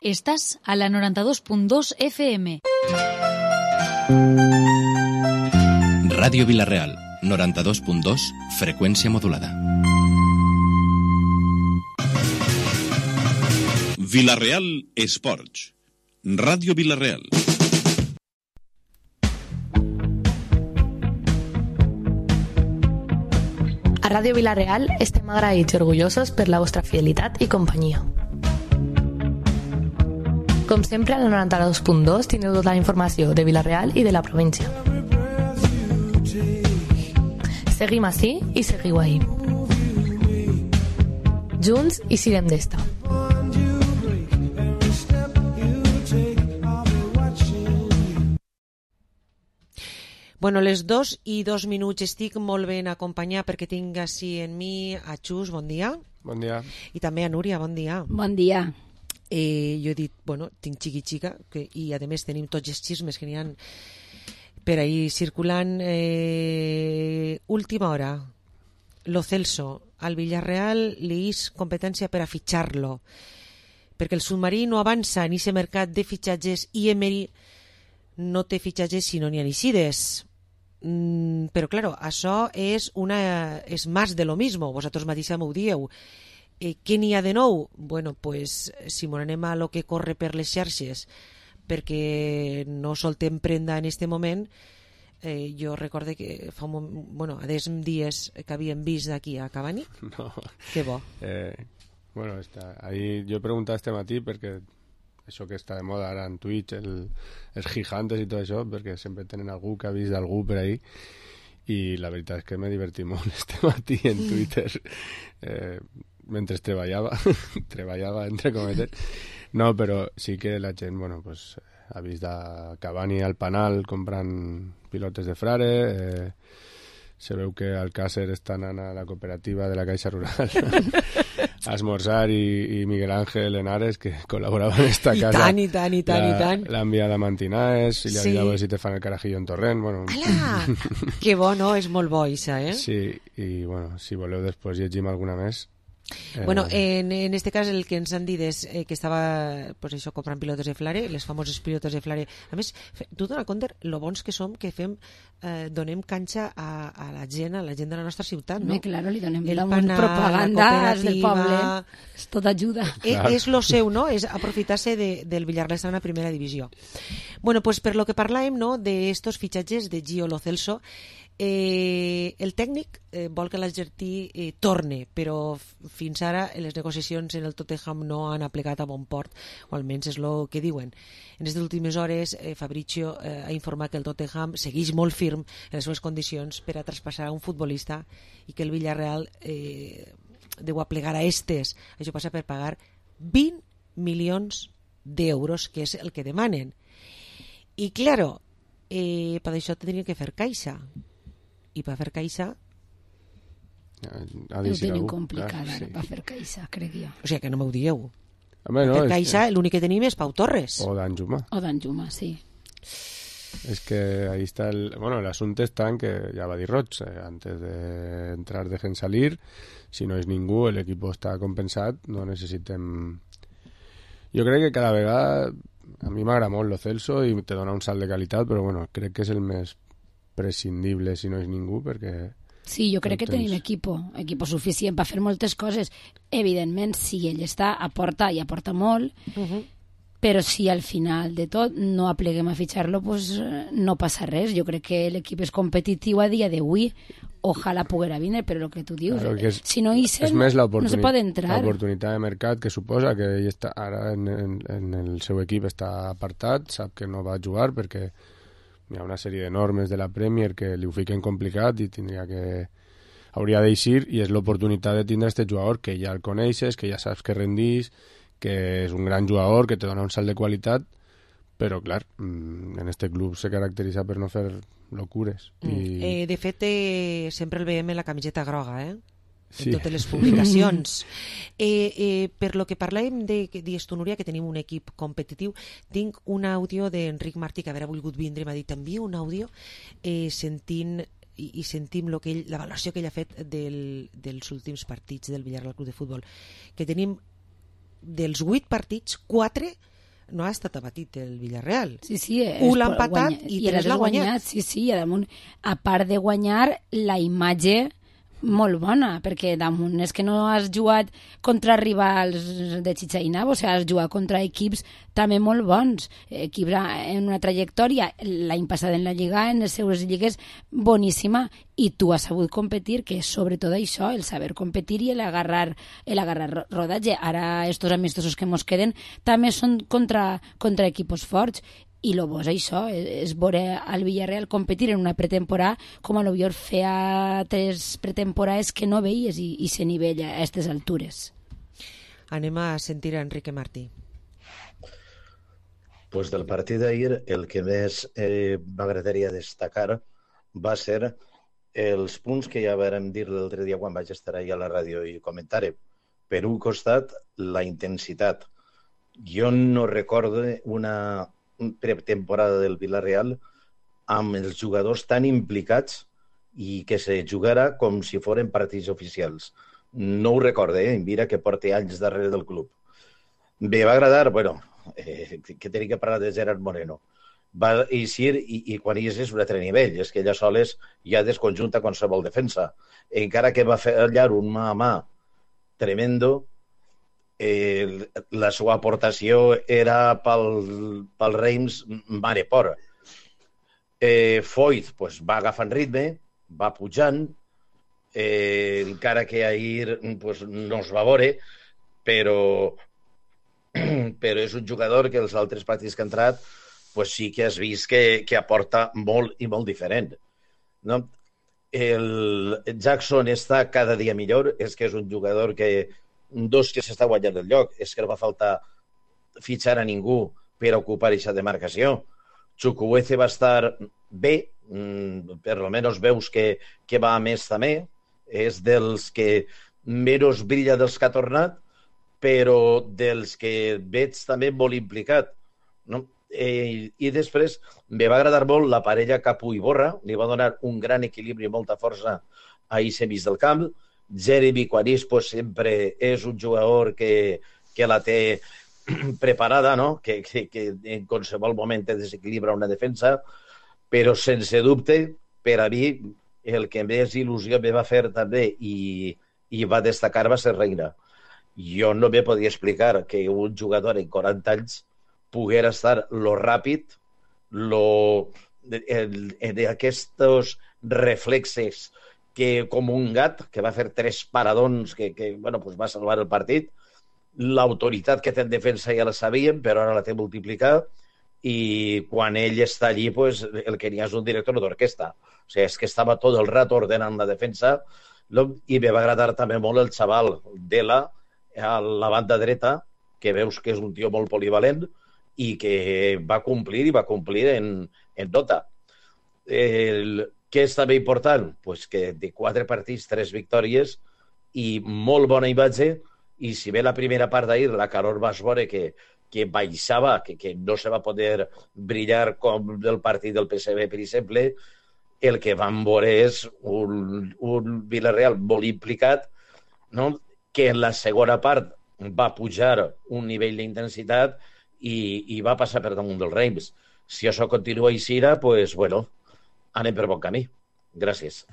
Estás a la 92.2 FM. Ràdio Vila-real, 92.2, freqüència modulada. Vila-real Esports. Ràdio Vila-real. A Ràdio Vila-real estem agraïts i orgullosos per la vostra fidelitat i companyia. Com sempre, a la 92.2 tindreu tota la informació de Vila-real i de la província. Seguim ací i seguiu ahí. Junts i siguem d'esta. Bueno, les 2:02 estic molt ben acompanyada perquè tinc així en mi a Xus, bon dia. Bon dia. I també a Núria, bon dia. Bon dia. Jo he dit, bueno, tinc xiqui-xica i a més tenim tots els xismes que n'hi ha per ahí circulant. Última hora, Lo Celso, al Villarreal li és competència per a fitxar-lo, perquè el submarí no avança en aquest mercat de fitxatges i Emery no té fitxatges si no n'hi ha eixides. Però, claro, això és més de lo mismo, vosaltres mateixa m'ho dieu. Què n'hi ha de nou? Bueno, pues, si m'ho anem a lo que corre per les xarxes, perquè no soltem prenda en este moment, jo recorde que fa un moment, bueno, a 10 dies que havíem vist d'aquí a Cavani. No. Que bo. Bueno, ahí yo he preguntado este matí perquè això que està de moda ara en Twitch, els gigantes i tot això, perquè sempre tenen algú que ha vist d'algú per ahí, i la veritat és que m'he divertit molt este matí en Twitter mentre treballava entre cometes. No, però sí que la gent, bueno, pues, ha vist a Cavani al Panal comprant pilotes de Frare, se veu que Alcácer està anant a la cooperativa de la Caixa Rural a esmorzar i Miguel Ángel Henares, que col·laborava en esta casa, I tant. l'ha enviat a Mantinaes i li ha dit a veure si te fan el carajillo en Torrent. Bueno, Ala! Que bo, no? És molt bo, això, Sí, i bueno, si voleu després llegim alguna més. Bueno, en este cas el que ens han dit és que estava, pues això, comprant pilotes de Flare, les famoses pilotes de Flare. A més, tu dona compte lo bons que som, que donem canxa a la gent de la nostra ciutat, no? Claro, li donem Pana, propaganda del poble, és tot ajuda. És lo seu, no? És aprofitar-se del Villarreal estar en la primera divisió. Bueno, pues per lo que parlàvem, no?, d'estos fitxatges de Gio Lo Celso, el tècnic vol que l'Argentí torne, però fins ara les negociacions en el Tottenham no han aplegat a bon port, o almenys és el que diuen. En les últimes hores Fabrizio ha informat que el Tottenham segueix molt firm en les seves condicions per a traspassar a un futbolista i que el Villarreal deu aplegar a estes. Això passa per pagar 20 milions d'euros, que és el que demanen. I claro, per això tindrien que fer caixa. I per fer caixa ho tenim complicat ara, per fer caixa, crec jo. O sigui que no m'ho dieu. Home, no, per caixa l'únic que tenim és Pau Torres o d'Anjuma, sí. Es que ahí está el asunto está en que ya va a dir Roig, antes de entrar dejen salir, si no és ningú el equipo està compensat, no necessitem. Jo crec que cada vegada a mi m'agrada molt Lo Celso i te dona un salt de qualitat, però bueno, crec que és el més prescindible si no és ningú, perquè sí, jo crec que tenim equipo suficient per fer moltes coses. Evidentment, si ell està, aporta molt, però si al final de tot no apleguem a fitxar-lo, pues no passa res. Jo crec que l'equip és competitiu a dia d'avui, ojalà poguera vindre, però el que tu dius, si no hi sent, no se pot entrar. L'oportunitat de mercat que suposa que ell està ara en el seu equip està apartat, sap que no va jugar perquè hi ha una sèrie de normes de la Premier que li ho fiquen complicat i hauria d'eixir, i és l'oportunitat de tindre aquest jugador que ja el coneixes, que ja saps que rendís, que és un gran jugador, que te dona un salt de qualitat, però clar, en este club se caracteritza per no fer locures. De fet, sempre el veiem en la camiseta groga, en totes les publicacions. Per lo que parlàvem d'Estonuria, que tenim un equip competitiu, tinc un àudio d'Enric Martí, que haurà volgut vindre, m'ha dit, envia un àudio sentim la valoració que ell ha fet dels últims partits del Villarreal Club de Futbol, que tenim dels 8 partits, 4 no ha estat abatit el Villarreal. Sí, l'ha empatat i 3 l'ha guanyat. Sí, i damunt, a part de guanyar, la imatge molt bona, perquè damunt és que no has jugat contra rivals de Chichainabo, o sigui, has jugat contra equips també molt bons, equips en una trajectòria l'any passat en la Lliga, en les seues lligues, boníssima, i tu has sabut competir, que és sobretot això, el saber competir i el agarrar rodatge. Ara estos amistosos que mos queden també són contra equipos forts, i lo bo és això, és veure al Villarreal competir en una pretemporada com a lo millor feia 3 pretemporades que no veies i se nivella a aquestes altures. Anem a sentir a Enrique Martí. Pues del partit d'ahir el que més m'agradaria destacar va ser els punts que ja vàrem dir l'altre dia quan vaig estar allà a la ràdio i comentar-ho. Per un costat, la intensitat. Jo no recordo una pretemporada del Villarreal amb els jugadors tan implicats i que se jugara com si foren partits oficials. No ho recorde, mira que porta anys darrere del club. Me va agradar, que tenia que parlar de Gerard Moreno. Va eixir i quan hi és un altre nivell, és que ella soles ja desconjunta qualsevol defensa. Encara que va fer allà un mà a mà tremendo, la seva aportació era pel Reims mare por. Foyt va agafant ritme, va pujant, encara que ahir no es va veure, però és un jugador que els altres partits que ha entrat sí que has vist que aporta molt i molt diferent. No? El Jackson està cada dia millor, és que és un jugador que s'està guanyant el lloc, és que no va faltar fitxar a ningú per ocupar aquesta demarcació. Chukwueze va estar bé, per almenys veus que va a més també, és dels que menys brilla dels que ha tornat, però dels que veig també molt implicat. No? I després me va agradar molt la parella Capu i Borra, li va donar un gran equilibri i molta força a aquest mig del camp. Jeremy Quanis sempre és un jugador que la té preparada, no? que en qualsevol moment te desequilibra una defensa, però sense dubte, per a mi, el que més il·lusió me va fer també i va destacar va ser Reina. Jo no me podia explicar que un jugador en 40 anys poguera estar lo ràpid, d'aquests reflexes que com un gat, que va fer 3 paradons que va salvar el partit. L'autoritat que té en defensa ja la sabíem, però ara la té multiplicat, i quan ell està allí, el que n'hi ha és un director d'orquestra. O sigui, és que estava tot el rato ordenant la defensa, i me va agradar també molt el xaval Dela, a la banda dreta, que veus que és un tio molt polivalent, i que va complir en nota. Què és també important? Que de 4 partits, 3 victòries i molt bona imatge, i si bé la primera part d'ahir la calor vas veure que baixava, que no se va poder brillar com el partit del PSV, per exemple, el que vam veure és un Villarreal molt implicat, no? Que en la segona part va pujar un nivell d'intensitat i va passar per damunt del Reims. Si això continua així, anem per bon camí. Gràcies.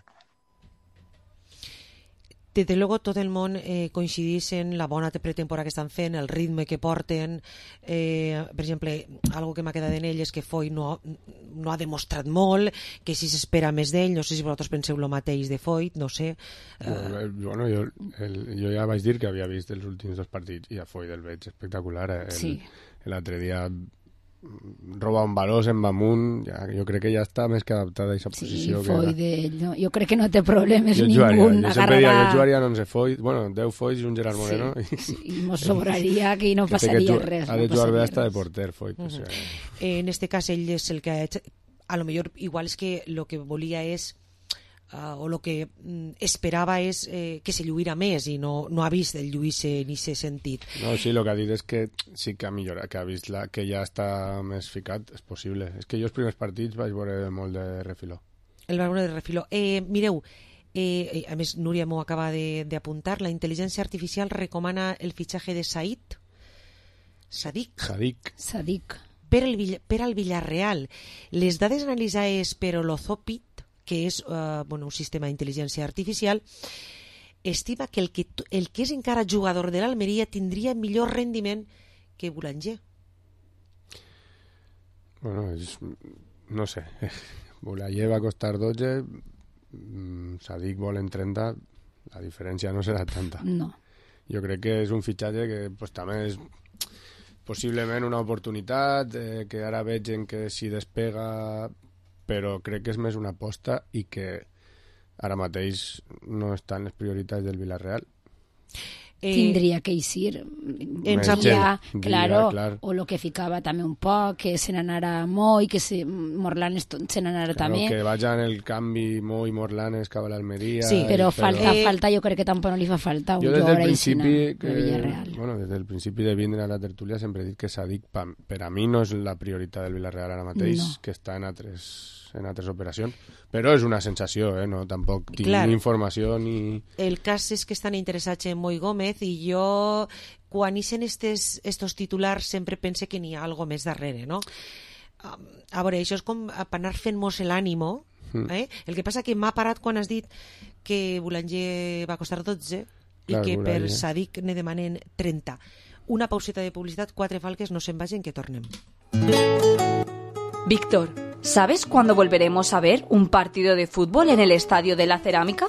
Desde luego tot el món coincidís en la bona pretemporada que estan fent, el ritme que porten. Per exemple, algo que m'ha quedat en ell és que Foyt no ha demostrat molt, que si s'espera més d'ell. No sé si vosaltres penseu el mateix de Foyt, no sé. Jo ja vaig dir que havia vist els últims 2 partits i a Foyt el veig espectacular. L'altre dia roba un baló, se'n va amunt, jo crec que ja està més que adaptada a aquesta posició. Sí, Foyt, jo crec que no té problemes ningú. Jo sempre diria, jo jugaria en 11 Foyt, 10 Foyt i un Gerard Moreno. I mos sobraria que no passaria res. Ha de jugar bé hasta de porter, Foyt. En este cas, ell és el que ha hecho, a lo millor igual és que lo que volia és o lo que esperava és que se lluïra més i no ha vist el lluir-se en aquest sentit. No, sí, el que ha dit és que sí que ha millorat, que ha vist que ja està més ficat, és possible. És que jo els primers partits vaig veure molt de refiló. El va veure de refiló. Mireu, a més Núria m'ho acaba d'apuntar, la intel·ligència artificial recomana el fitxatge de Said. Sadik. Per al Villarreal. Les dades analitzades per Olozopit, que és un sistema d'intel·ligència artificial, estima que el que és encara jugador de l'Almeria tindria millor rendiment que Boulanger. Bueno, no sé. Boulanger va costar 12, Sadik vol en 30, la diferència no serà tanta. No. Jo crec que és un fitxatge que pues, també és possiblement una oportunitat, que ara veig que si despega, però crec que és més una aposta i que ara mateix no està en les prioritats del Villarreal. Tindria que eixir claro, o lo que ficava també un poc, que se n'anara Mo i que Morlan se n'anara també. Que vayan el canvi Mo i Morlan cap a l'Almeria. Sí, però falta jo crec que tampoc no li fa falta un jugador de Villarreal. Bueno, des del principi de vindre a la tertúlia sempre he dit que Sadik per a mi no és la prioritat del Villarreal ara mateix, que està en altres operacions, però és una sensació, no? Tampoc tinc ni informació ni... El cas és que estan interessats en Moi Gómez i jo, quan ixen estos titulars, sempre pense que n'hi ha algo més darrere, no? A veure, això és com per anar fent-nos l'ànimo, El que passa que m'ha parat quan has dit que Boulanger va costar 12 i que per Sadik ne demanen 30. Una pauseta de publicitat, 4 falques, no se'n vagin, que tornem. Víctor, ¿sabes cuándo volveremos a ver un partido de fútbol en el Estadio de la Cerámica?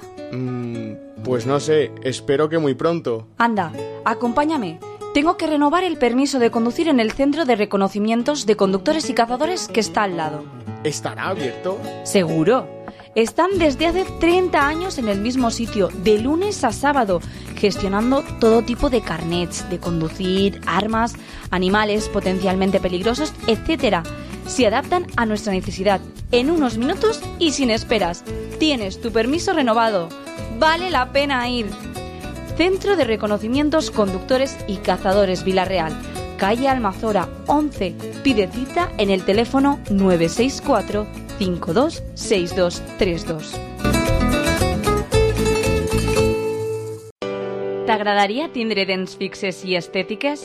Pues no sé, espero que muy pronto. Anda, acompáñame. Tengo que renovar el permiso de conducir en el Centro de Reconocimientos de Conductores y Cazadores que está al lado. ¿Estará abierto? Seguro. Están desde hace 30 años en el mismo sitio, de lunes a sábado, gestionando todo tipo de carnets de conducir, armas, animales potencialmente peligrosos, etc. Se adaptan a nuestra necesidad en unos minutos y sin esperas. Tienes tu permiso renovado. Vale la pena ir. Centro de Reconocimientos Conductores y Cazadores Villarreal, calle Almazora 11. Pide cita en el teléfono 964 52 6232. T'agradaria tindre dents fixes i estètiques?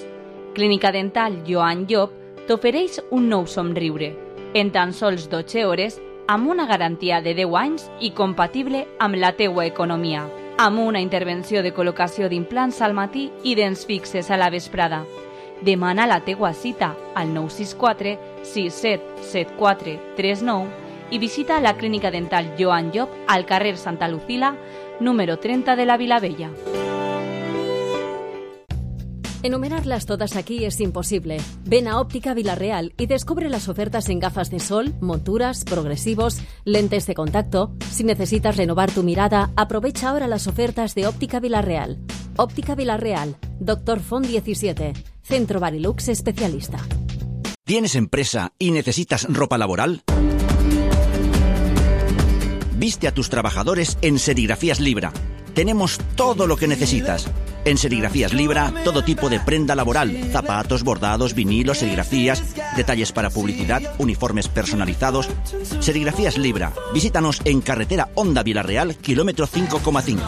Clínica Dental Joan Llop t'ofereix un nou somriure, en tan sols 12 hores, amb una garantia de 10 anys i compatible amb la teua economia, amb una intervenció de col·locació d'implants al matí i dents fixes a la vesprada. Demana la teua cita al 964 6774 39 i visita la Clínica Dental Joan Llop al carrer Santa Lucila, número 30 de la Vilavella. Enumerarlas todas aquí es imposible. Ven a Óptica Villarreal y descubre las ofertas en gafas de sol, monturas, progresivos, lentes de contacto. Si necesitas renovar tu mirada, aprovecha ahora las ofertas de Óptica Villarreal. Óptica Villarreal, Dr. Font 17, Centro Barilux Especialista. ¿Tienes empresa y necesitas ropa laboral? Viste a tus trabajadores en Serigrafías Libra. Tenemos todo lo que necesitas. En Serigrafías Libra, todo tipo de prenda laboral, zapatos, bordados, vinilos, serigrafías, detalles para publicidad, uniformes personalizados. Serigrafías Libra. Visítanos en carretera Honda Villarreal, kilómetro 5,5.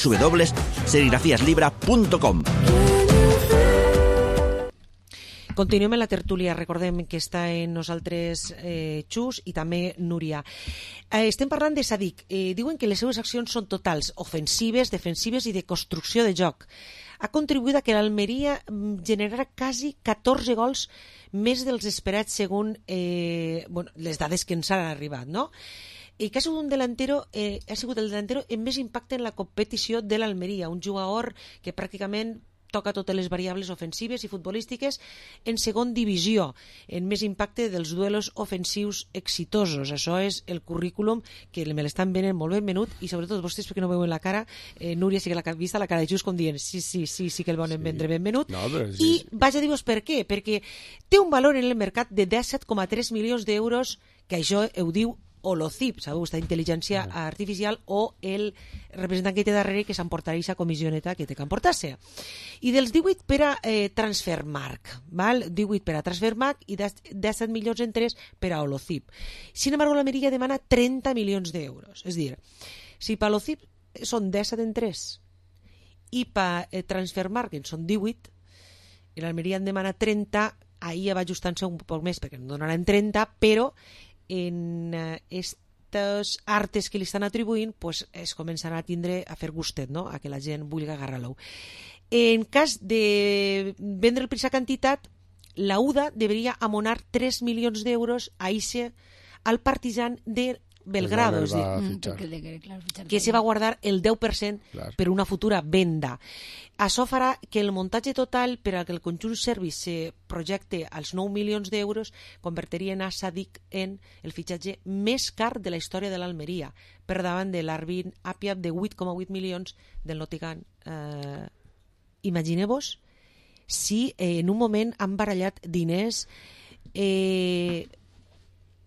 www.serigrafiaslibra.com. Continuem en la tertúlia, recordem que està en nosaltres Xus i també Núria. Estem parlant de Sadik. Diuen que les seues accions són totals, ofensives, defensives i de construcció de joc. Ha contribuït a que l'Almeria generarà quasi 14 gols més dels esperats segons les dades que ens han arribat, no? I que ha sigut el delantero amb més impacte en la competició de l'Almeria, un jugador que pràcticament toca totes les variables ofensives i futbolístiques en segon divisió, en més impacte dels duelos ofensius exitosos. Això és el currículum que me l'estan venent molt ben venut i sobretot vostès perquè no veuen la cara, Núria sí que l'ha vist la cara de Just com dient sí que el volen vendre ben venut. No, I vaig a dir-vos per què, perquè té un valor en el mercat de 17,3 milions d'euros, que això ho diu Olozip, sabeu, aquesta intel·ligència artificial, o el representant que té darrere que s'emportarà aquesta comissioneta que té que emportar-se. I dels 18 per a Transfermarkt, val? 18 per a Transfermarkt i 17 milions en 3 per a Olozip. Sin embargo, l'Almeria demana 30 milions d'euros. És a dir, si per Olozip són 17 en 3 i per Transfermarkt en són 18, l'Almeria en demana 30, ahir va ajustant-se un poc més perquè no donaran 30, però en estos artes que li estan atribuint pues, es començarà a fer gustet, no? A que la gent vulgui agarrar-lo. En cas de vendre el per aquesta quantitat, la UDA deberia amonar 3 milions d'euros a ICE al Partizan de Belgrado, que se va guardar el 10% per una futura venda. Això farà que el muntatge total per a que el conjunt serbi se projecte als 9 milions d'euros convertirien a Sadik en el fitxatge més car de la història de l'Almeria, per davant de l'Arvin Apiab de 8,8 milions del Nottingham. Imagineu-vos si en un moment han barallat diners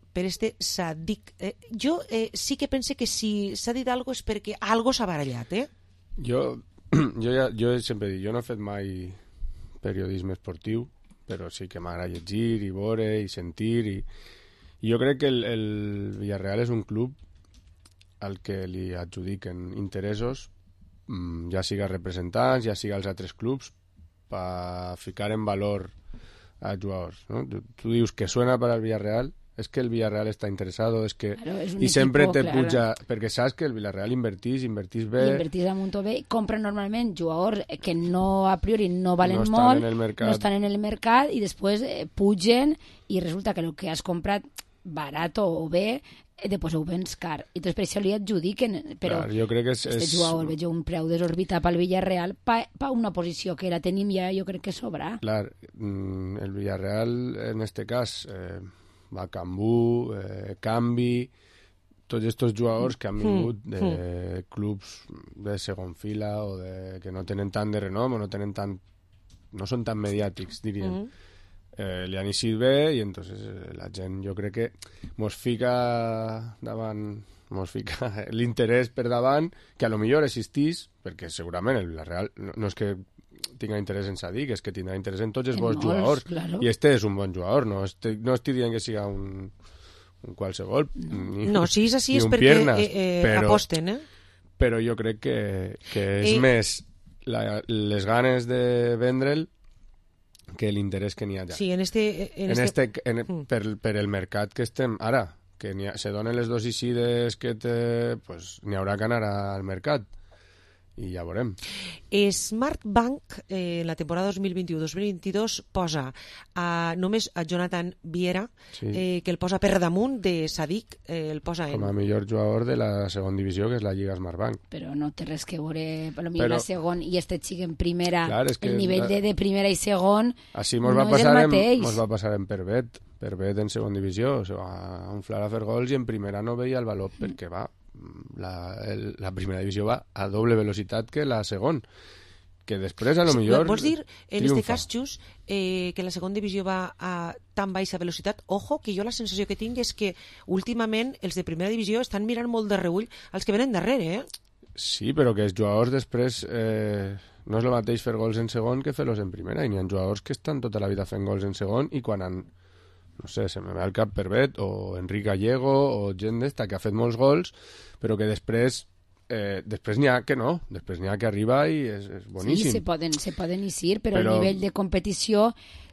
per este Sadik. Jo sí que pense que si s'ha dit alguna cosa és perquè algo s'ha barallat, Jo sempre dic, jo no he fet mai periodisme esportiu, però sí que m'agrada llegir i veure i sentir i jo crec que el Villarreal és un club al que li adjudiquen interessos, ja siga representants, ja siga els altres clubs, per ficar en valor a jugadors, ¿no? Tu dius que suena para el Villarreal, es que el Villarreal está interesado, es que claro, es y siempre te puja, perquè saps que el Villarreal invertís bé, invertís a munt bé, compra normalment jugadors que no a priori no valen molt, no estan en el mercat i després pugen i resulta que el que has comprat barat o bé després ho vens car i després per això li adjudiquen, però clar, jo crec que este jugador veig un preu desorbitat pel Villarreal per una posició que la tenim ja jo crec que sobra. Clar, el Villarreal en este cas va Cambú, Cambi, tots aquests jugadors que han vingut de clubs de segon fila o que no tenen tant de renom o no són tan mediàtics, diríem. Li han eixit bé i entonces la gent jo crec que mos fica l'interès per davant que a lo millor existís, perquè segurament el Villarreal no és que tinga interès en Sadik, és que tindrà interès en tots els bons jugadors, claro. I este és un bon jugador, no estic dient que siga un qualsevol no, si és així és perquè aposten, però jo crec que és més les ganes de vendre'l que l'interès que n'hi ha allà. Sí, per el mercat que estem ara, que se donen les dos eixides que pues, n'hi haurà que anar al mercat i ja veurem. Smart Bank en la temporada 2021-2022 posa només a Jonathan Viera, que el posa per damunt de Sadik, el posa com a millor jugador de la segona divisió, que és la Lliga Smart Bank. Però no té res que veure, potser la segona i este xic en primera, clar, el nivell de primera i segon no és el mateix. Mos va passar en Pervet en segona divisió, se va inflar a fer gols i en primera no veia el valor perquè la primera divisió va a doble velocitat que la segona, que després a lo millor vols dir, en este cas, Xus, que la segona divisió va a tan baixa velocitat? Ojo, que jo la sensació que tinc és que últimament els de primera divisió estan mirant molt de reull els que venen darrere, Sí, però que els jugadors després no és el mateix fer gols en segon que fer-los en primera, i n'hi ha jugadors que estan tota la vida fent gols en segon i quan han no sé, se me ve al cap Pervet o Enric Gallego o gent d'esta que ha fet molts gols però que després n'hi ha que no, després n'hi ha que arriba i és boníssim. Sí, se poden eixir, però el nivell de competició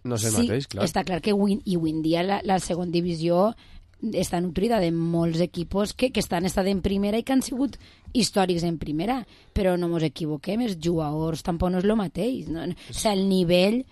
no és el mateix, clar. Està clar que avui en dia la segona divisió està nutrida de molts equipos que estan en primera i que han sigut històrics en primera, però no ens equivoquem, els jugadors tampoc no és el mateix, no? O sigui, el nivell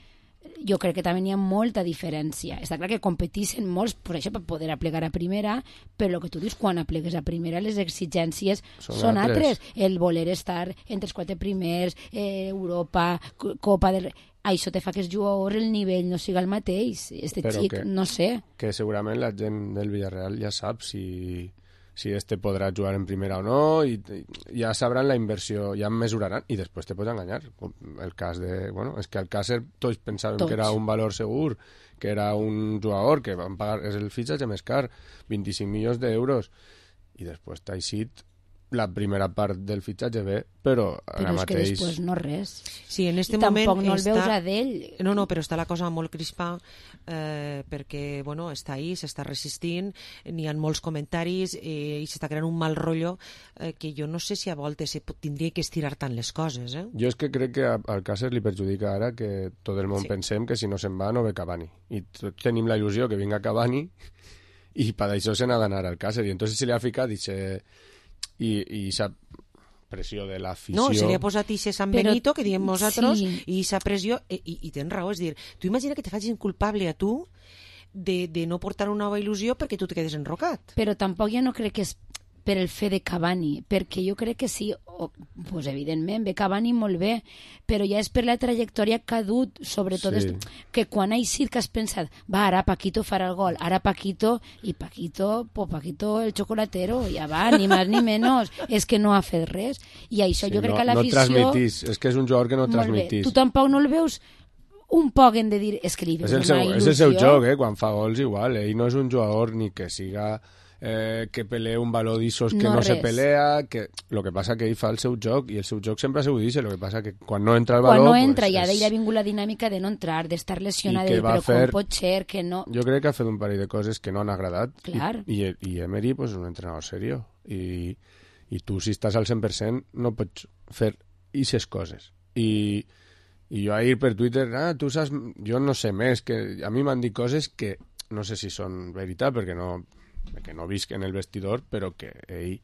jo crec que també hi ha molta diferència. Està clar que competeixen molts per això per poder aplegar a primera, però el que tu dius, quan aplegues a primera les exigències són altres. El voler estar entre els 4 primers, Europa, Copa del... Això te fa que els jugadors el nivell no siga el mateix. Però xic, no sé. Que segurament la gent del Villarreal ja sap si este podrà jugar en primera o no, i ja sabran la inversió, ja mesuraran, i després te pots enganyar. El cas de... Bueno, és que al Càcer tots pensàvem que era un valor segur, que era un jugador que van pagar, és el fitxatge més car, 25 milions d'euros, i després t'ha eixit la primera part del fitxatge bé, però ara és mateix... que després no res. Sí, en este I moment tampoc no el veus a d'ell. No, però està la cosa molt crispa perquè, bueno, està ahí, s'està resistint, n'hi ha molts comentaris i s'està creant un mal rotllo que jo no sé si a voltes tindria que estirar tant les coses, eh? Jo és que crec que al Cáceres li perjudica ara que tot el món pensem que si no se'n va no ve Cavani. I tots tenim la il·lusió que vinga Cavani i per això se n'ha d'anar al Cáceres. I entonces se li ha ficat i s'ha pressió de l'afició... No, se li ha posat ixe San Benito, que diem nosaltres, sí. i ixa pressió, i tens raó, és dir, tu imagina que te facin culpable a tu de no portar una nova il·lusió perquè tu te quedes enrocat. Però tampoc jo no crec que és per el fe de Cavani, perquè jo crec que sí, pues evidentment, ve Cavani molt bé, però ja és per la trajectòria que ha dut, sobretot que quan ha eixit que has pensat, va, ara Paquito farà el gol, ara Paquito, i Paquito, el chocolatero, ja va, ni més ni menys, és que no ha fet res, i això jo crec que l'afició... No transmitís, és que és un jugador que no transmitís. Tu tampoc no el veus un poc hem de dir, és que li veus una il·lusió. És el seu joc, quan fa gols igual, ell no és un jugador ni que siga... que pelee un baló d'issos que no se pelea, que lo que passa que ell fa el seu joc, i el seu joc sempre ha sigut d'isse, lo que passa que quan no entra el baló... Quan no entra, ja d'ell ha vingut la dinàmica de no entrar, d'estar lesionada, però com pot ser que no... Jo crec que ha fet un parell de coses que no han agradat, Clar. i Emery pues, és un entrenador serio, i tu si estàs al 100% no pots fer aquestes coses. I jo ahir per Twitter, tu saps, jo no sé més, que a mi m'han dit coses que no sé si són veritat, perquè no visc en el vestidor, però que ell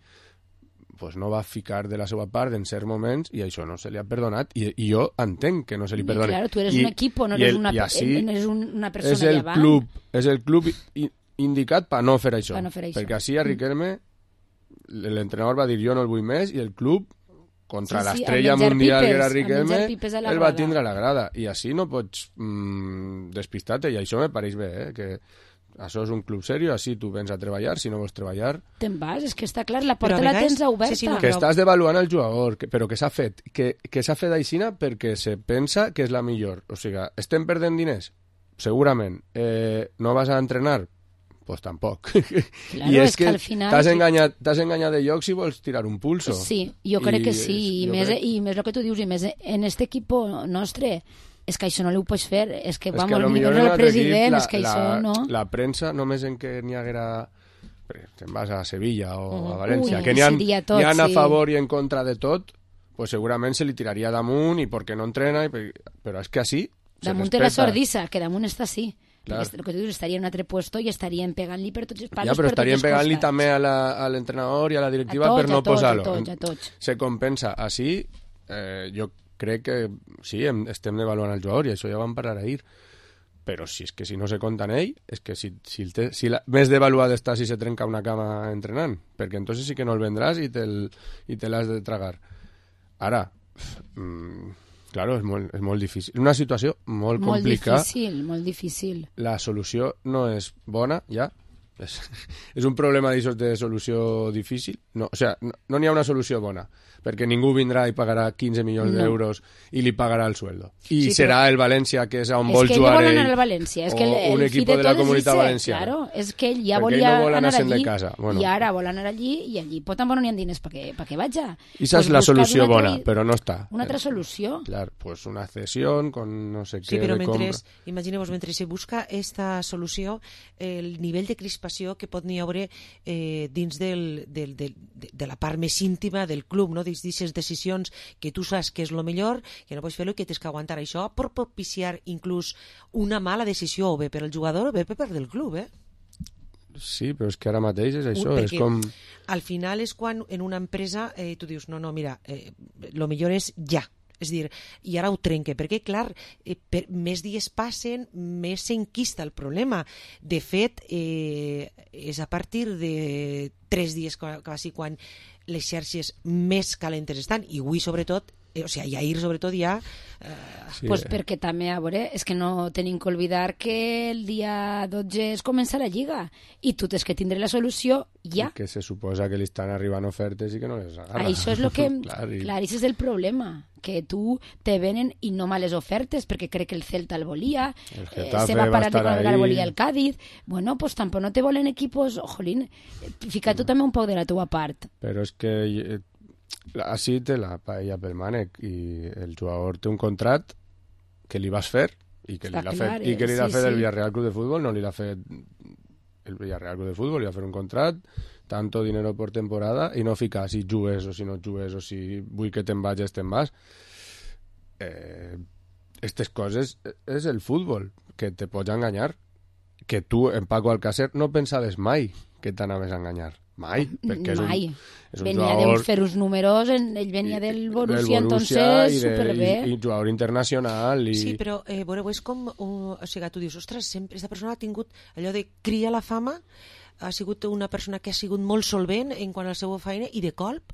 pues, no va ficar de la seva part en certs moments i això no se li ha perdonat i jo entenc que no se li perdoni. Claro, tu eres un equip, no eres una persona de davant. És el club indicat per no fer això. Perquè així a Riquelme l'entrenador va dir jo no el vull més i el club contra l'estrella mundial que era Riquelme el va tindre a la grada i així no pots despistar-te i això me pareix bé, que això és un club serio, així tu vens a treballar, si no vols treballar... Te'n vas, és que està clar, la porta la tens oberta. Sí, no, que estàs devaluant el jugador, però que s'ha fet, que s'ha fet aixina perquè se pensa que és la millor. O sigui, estem perdent diners? Segurament. No vas a entrenar? Pues tampoc. Claro, I és que al final... t'has enganyat de lloc si vols tirar un pulso. Sí, jo crec que sí, i més el que tu dius, i més en este equip nostre... És que això no ho pots fer, és que vamos, ni veure el president, és que això no... La premsa, només en què n'hi haguera... Te'n vas a Sevilla o a València, que n'hi ha a favor i en contra de tot, pues segurament se li tiraria damunt i perquè no entrena, però és que així damunt de la sordissa, que damunt està així. Claro. El que tu dius, estaria en un altre puesto i estarien pegant-li per tots els palos. Ja, però estarien pegant-li també a l'entrenador i a la directiva per no posar-lo. A tots. Se compensa. Així, jo crec que sí, estem devaluant el jugador i això ja vam parlar ahir, però si és que si no se compta en ell, és que si més devaluat està si se trenca una cama entrenant, perquè entonces sí que no el vendràs i te l'has de tragar. Ara, claro, és molt difícil. Una situació molt complicada. Molt difícil. La solució no és bona, ja. És un problema de solució difícil. No, o sea, no n'hi ha una solució bona, perquè ningú vindrà i pagarà 15 milions d'euros i li pagarà el sueldo. I serà el València, que és on vol jugar ell, el València. És que o un equip de la Comunitat Valenciana. Claro, és que ell ja volia anar allí bueno. i ara vol anar allí i allí tampoc no n'hi ha diners perquè vaja. I esa és la solució bona, però no està. Una altra solució. Clar, pues una cesión con no sé què de compra. Imagineu-vos, mentre se busca esta solució, el nivell de crispació que pot n'hi haure dins de la part més íntima del club, no? D'aquestes decisions que tu saps que és el millor, que no pots fer-ho i que tens que aguantar això per propiciar inclús una mala decisió o bé per al jugador o bé per part del club, Sí, però és que ara mateix és això, és com... Al final és quan en una empresa tu dius, no, mira, el millor és ja. És dir, i ara ho trenque, perquè, clar, més dies passen, més s'enquista el problema. De fet, és a partir de 3 dies quasi quan les xarxes més calentes estan, i avui, sobretot, o sigui, Jair sobretot ja... Pues perquè també, a veure, és que no tenim que oblidar que el dia 12 es comença la Lliga i tu tens que tindre la solució ja. I que se suposa que li estan arribant ofertes i que no les agarra. Això és el que... Clar, això és el problema, que tu te venen i no males ofertes, perquè crec que el Celta el volia, se va parar de colgar, volia el Cádiz. Bueno, pues tampoc no te volen equipos... Jolín, fica tu també un poc de la teua part. Però és que... Així té la paella pel mànec i el jugador té un contrat que li vas fer i que li l'ha fet, i que li l'ha fet el Villarreal Club de Fútbol, no li l'ha fet el Villarreal Club de Fútbol, li va fer un contrat, tanto dinero por temporada, i no ficar si jugues o si no jugues o si vull que te'n vagis, te'n vas. Aquestes coses és el futbol, que te pots enganyar, que tu, en Paco Alcácer, no pensaves mai que t'anaves a enganyar. Mai, perquè és un venia jugador... de fer uns números, ell venia del Borussia, entonces, superbé. I jugador internacional. Sí, però, veureu, és com... O sigui, tu dius, ostres, sempre aquesta persona ha tingut allò de cria la fama, ha sigut una persona que ha sigut molt solvent en quant a la seva feina i de colp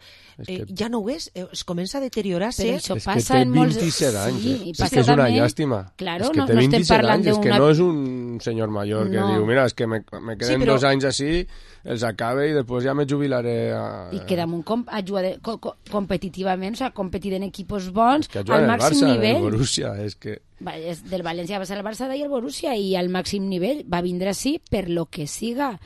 ja no ho és, es comença a deteriorar-se. Però això és que té 27 anys, és que és una llàstima. Claro, és que té 27 anys, és que no és un senyor major que diu, mira, és que me queden 2 anys així, els acabe i després ja me jubilaré. I que damunt competitivament, o sigui, competir en equipos bons, al màxim nivell. El Borussia, és que... Del València va ser el Barça i el Borussia, i al màxim nivell va vindre així per lo que siga.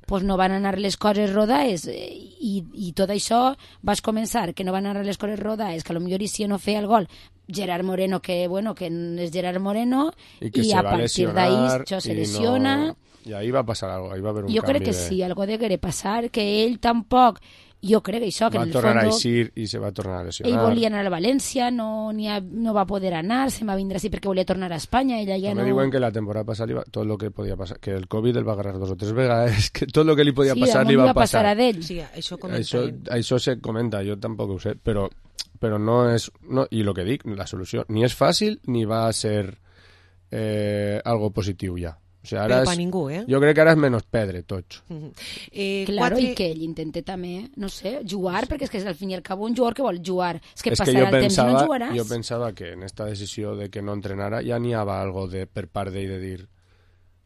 Pues no van anar les coses rodades i tot això vas començar que no van anar les coses rodades, que potser Isia no feia el gol, Gerard Moreno, que és Gerard Moreno, i a partir d'ahí això se lesiona. I ahí va passar alguna cosa, ahí va haver un jo crec que sí, algo de querer passar, que ell tampoc, jo crec que això, que en el fons... Va tornar a eixir i se va tornar a lesionar. Ell volia anar a València, no va poder anar, se va vindre així perquè volia tornar a Espanya, ella ja no... Me diuen que la temporada passada tot lo que podia passar, que el Covid el va agarrar 2 o 3 vegades, que tot lo que li podia passar li va passar. Sí, això se comenta, jo tampoc ho sé, però no és... No, i el que dic, la solució ni és fàcil ni va a ser algo positiu ja. O sigui, però per ningú, Jo crec que ara és menys pedre, tots. Claro, i que ell intenta també, no sé, jugar, perquè és que al fin i al cabo un jugador que vol jugar. És que passarà el temps i no jugaràs. Jo pensava que en esta decisió de que no entrenara ja n'hi havia algo per part d'ell de dir,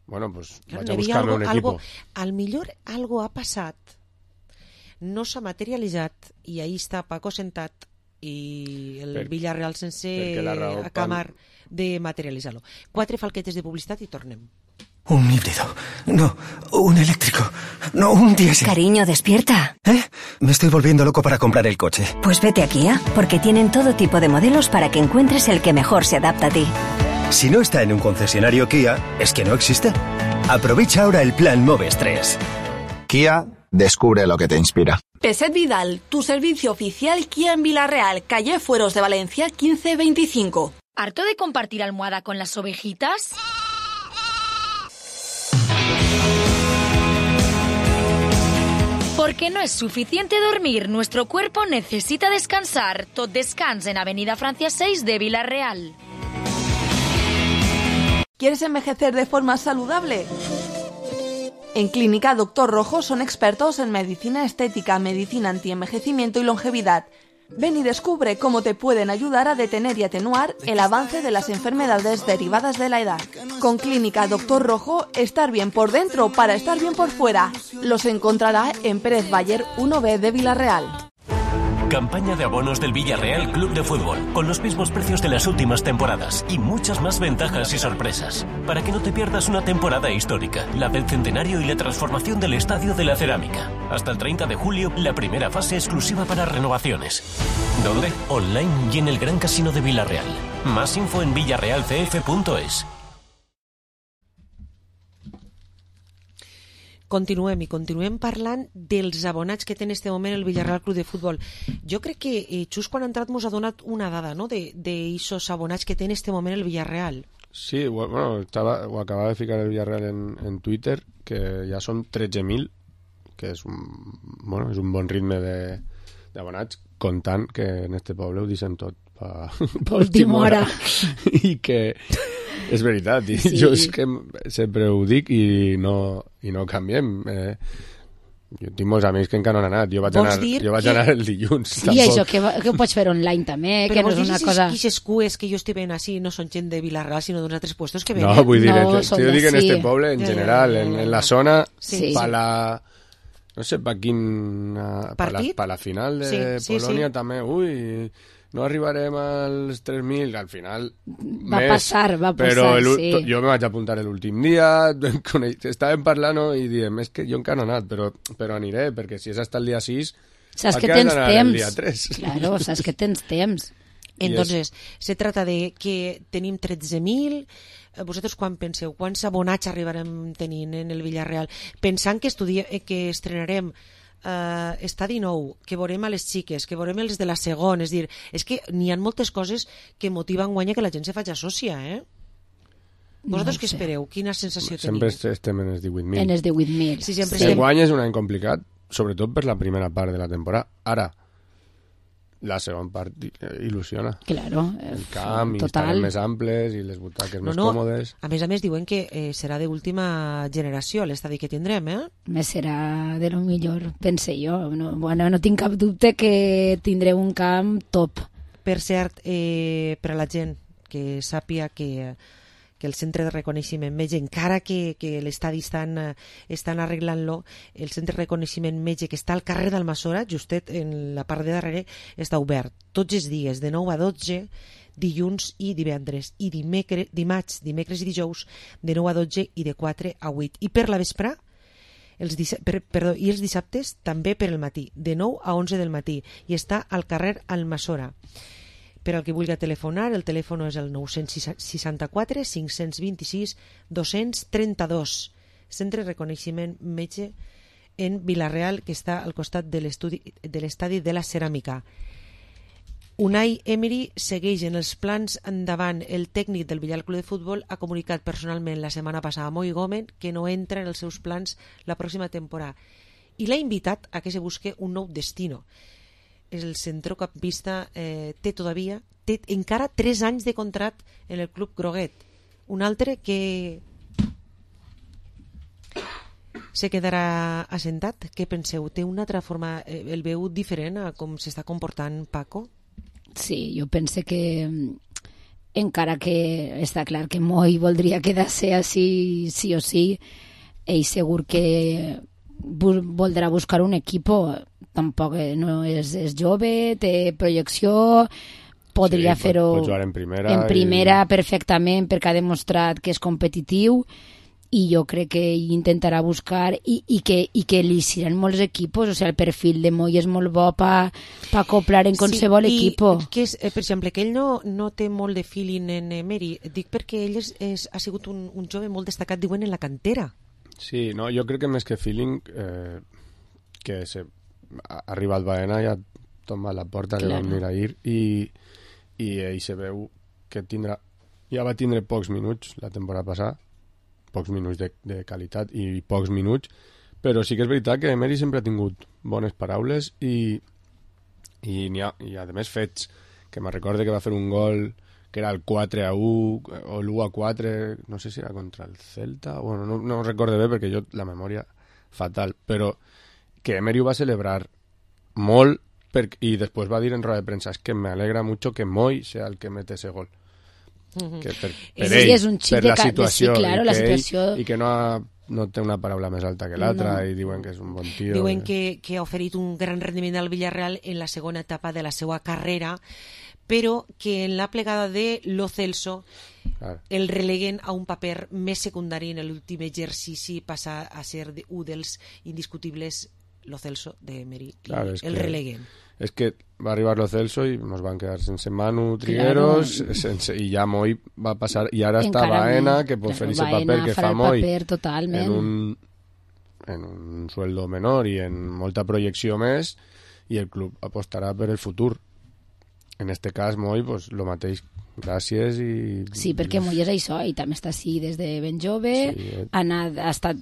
bueno, pues vaig a buscar-me un equipo. Al millor algo ha passat, no s'ha materialitzat, i ahí està Paco sentat i el Villarreal sense acabar de materialitzar-lo. 4 falquetes de publicitat i tornem. Un híbrido. No, un eléctrico. No, un diésel. Cariño, despierta. Me estoy volviendo loco para comprar el coche. Pues vete a Kia, porque tienen todo tipo de modelos para que encuentres el que mejor se adapta a ti. Si no está en un concesionario Kia, es que no existe. Aprovecha ahora el plan Moves 3. Kia, descubre lo que te inspira. Peset Vidal, tu servicio oficial Kia en Villarreal, calle Fueros de Valencia 1525. ¿Harto de compartir almohada con las ovejitas? Porque no es suficiente dormir, nuestro cuerpo necesita descansar. Tot Descans en Avenida Francia 6 de Villarreal. ¿Quieres envejecer de forma saludable? En Clínica Doctor Rojo son expertos en medicina estética, medicina antienvejecimiento y longevidad. Ven y descubre cómo te pueden ayudar a detener y atenuar el avance de las enfermedades derivadas de la edad. Con Clínica Doctor Rojo, estar bien por dentro para estar bien por fuera. Los encontrará en Pérez Bayer 1B de Villarreal. Campaña de abonos del Villarreal Club de Fútbol, con los mismos precios de las últimas temporadas y muchas más ventajas y sorpresas, para que no te pierdas una temporada histórica, la del centenario y la transformación del Estadio de la Cerámica. Hasta el 30 de julio, la primera fase exclusiva para renovaciones. ¿Dónde? Online y en el Gran Casino de Villarreal. Más info en villarrealcf.es. Continuem parlant dels abonats que té en este moment el Villarreal Club de Futbol. Jo crec que just quan ha entrat mos ha donat una dada, no?, d'eixos abonats que té en este moment el Villarreal. Sí, bueno, ho acabava de ficar el Villarreal en Twitter, que ja són 13.000, que és un bon ritme d'abonats, comptant que en este poble ho deixen tot per última hora. I que... És veritat, i jo és que sempre ho dic i no canviem. Jo tinc molts amics que encara no han anat. Jo vaig anar el dilluns. Sí, això que ho pots fer online també, que no és una cosa... Però vols cues que jo estic veient així no són gent de Vila-real, sinó d'uns altres puestos que ven? No, vull dir, jo dic en este poble, en general, en la zona, pa la... No sé, pa quin... Pa la final de Polònia també, no arribarem als 3.000, al final va passar, però jo me vaig apuntar l'últim dia, estàvem parlant i diem, és que jo encara no he anat, però aniré, perquè si és hasta el dia 6, saps que tens temps. El dia 3? Claro, saps que tens temps. Entonces, se trata de que tenim 13.000, vosaltres quan penseu, quants abonats arribarem tenint en el Villarreal? Pensant que estrenarem estadi nou, que veurem a les xiques, que veurem els de la segona, és que n'hi ha moltes coses que motiven guanya que la gent se faci sòcia, Vosaltres què espereu? Quina sensació teniu? Sempre estem en els 18.000. En els 18.000. Sí, sempre el guany és un any complicat, sobretot per la primera part de la temporada. Ara, la segona part il·lusiona. Claro. El camp, i estaran més amples i les butaques més còmodes. A més, diuen que serà d'última generació l'estadi que tindrem, Més serà de lo millor, pense jo. No tinc cap dubte que tindreu un camp top. Per cert, per a la gent que sàpia que el centre de reconeixement metge, encara que l'estadi estan arreglant-lo, el centre de reconeixement metge que està al carrer d'Almassora, justet en la part de darrere, està obert tots els dies, de 9 a 12, dilluns i divendres, i dimecres i dijous, de 9 a 12 i de 4 a 8. I per la vesprà, i els dissabtes, també per el matí, de 9 a 11 del matí, i està al carrer Almassora. Per al que vulgui telefonar, el telèfon és el 964 526 232. Centre de reconeixement metge en Vila-real, que està al costat de l'estadi de la Ceràmica. Unai Emery segueix en els plans endavant. El tècnic del Villarreal Club de Futbol ha comunicat personalment la setmana passada a Moi Gómez que no entra en els seus plans la pròxima temporada i l'ha invitat a que se busque un nou destino. El centrocampista té encara 3 anys de contracte en el club groguet. Un altre que se quedarà assentat. Què penseu? Té una altra forma, el veu diferent a com s'està comportant Paco? Sí, jo pense que encara que està clar que Moi voldria quedar-se així sí o sí, ell segur que voldrà buscar un equipo. Tampoc no és jove, té projecció, podria fer-ho en primera perfectament, perquè ha demostrat que és competitiu, i jo crec que intentarà buscar i que li seran molts equipos. O sigui, el perfil de Moi és molt bo per acoplar en qualsevol equipo. Que és, per exemple, que ell no té molt de feeling en Emery, dic perquè ell ha sigut un jove molt destacat, diuen, en la cantera. Sí, no, jo crec que més que feeling, que ha arribat Baena i ha tomat la porta, que vam mirar ahir, i ell se veu que ja va tindre pocs minuts la temporada passada, pocs minuts de qualitat i pocs minuts, però sí que és veritat que Emery sempre ha tingut bones paraules i a més fets, que me recorde que va fer un gol que era el 4-1 o l'1-4, no sé si era contra el Celta, bueno, no recordo bé perquè jo la memòria fatal, però que Emery ho va celebrar molt i després va dir en roda de premsa, es que me alegra mucho que Moi sea el que mete ese gol. Que per ell, és un per la situació, sí, claro, i que no té una paraula més alta que l'altra, i diuen que és un bon tio. Diuen que ha oferit un gran rendiment al Villarreal en la segona etapa de la seva carrera, però que en la plegada de Lo Celso el releguen a un paper més secundari en l'últim exercici, passa a ser un dels indiscutibles Lo Celso de Emery, el releguen. És que va arribar Lo Celso i ens van quedar sense Manu Trigueros, i ja Moi va passar, i ara està Baena, que pot fer aquest paper que fa Moi en un sueldo menor i en molta projecció més, i el club apostarà per el futur. En este cas, Moi, pues, lo mateix, gràcies i... Sí, perquè Moi és això, i també està així des de ben jove, ha estat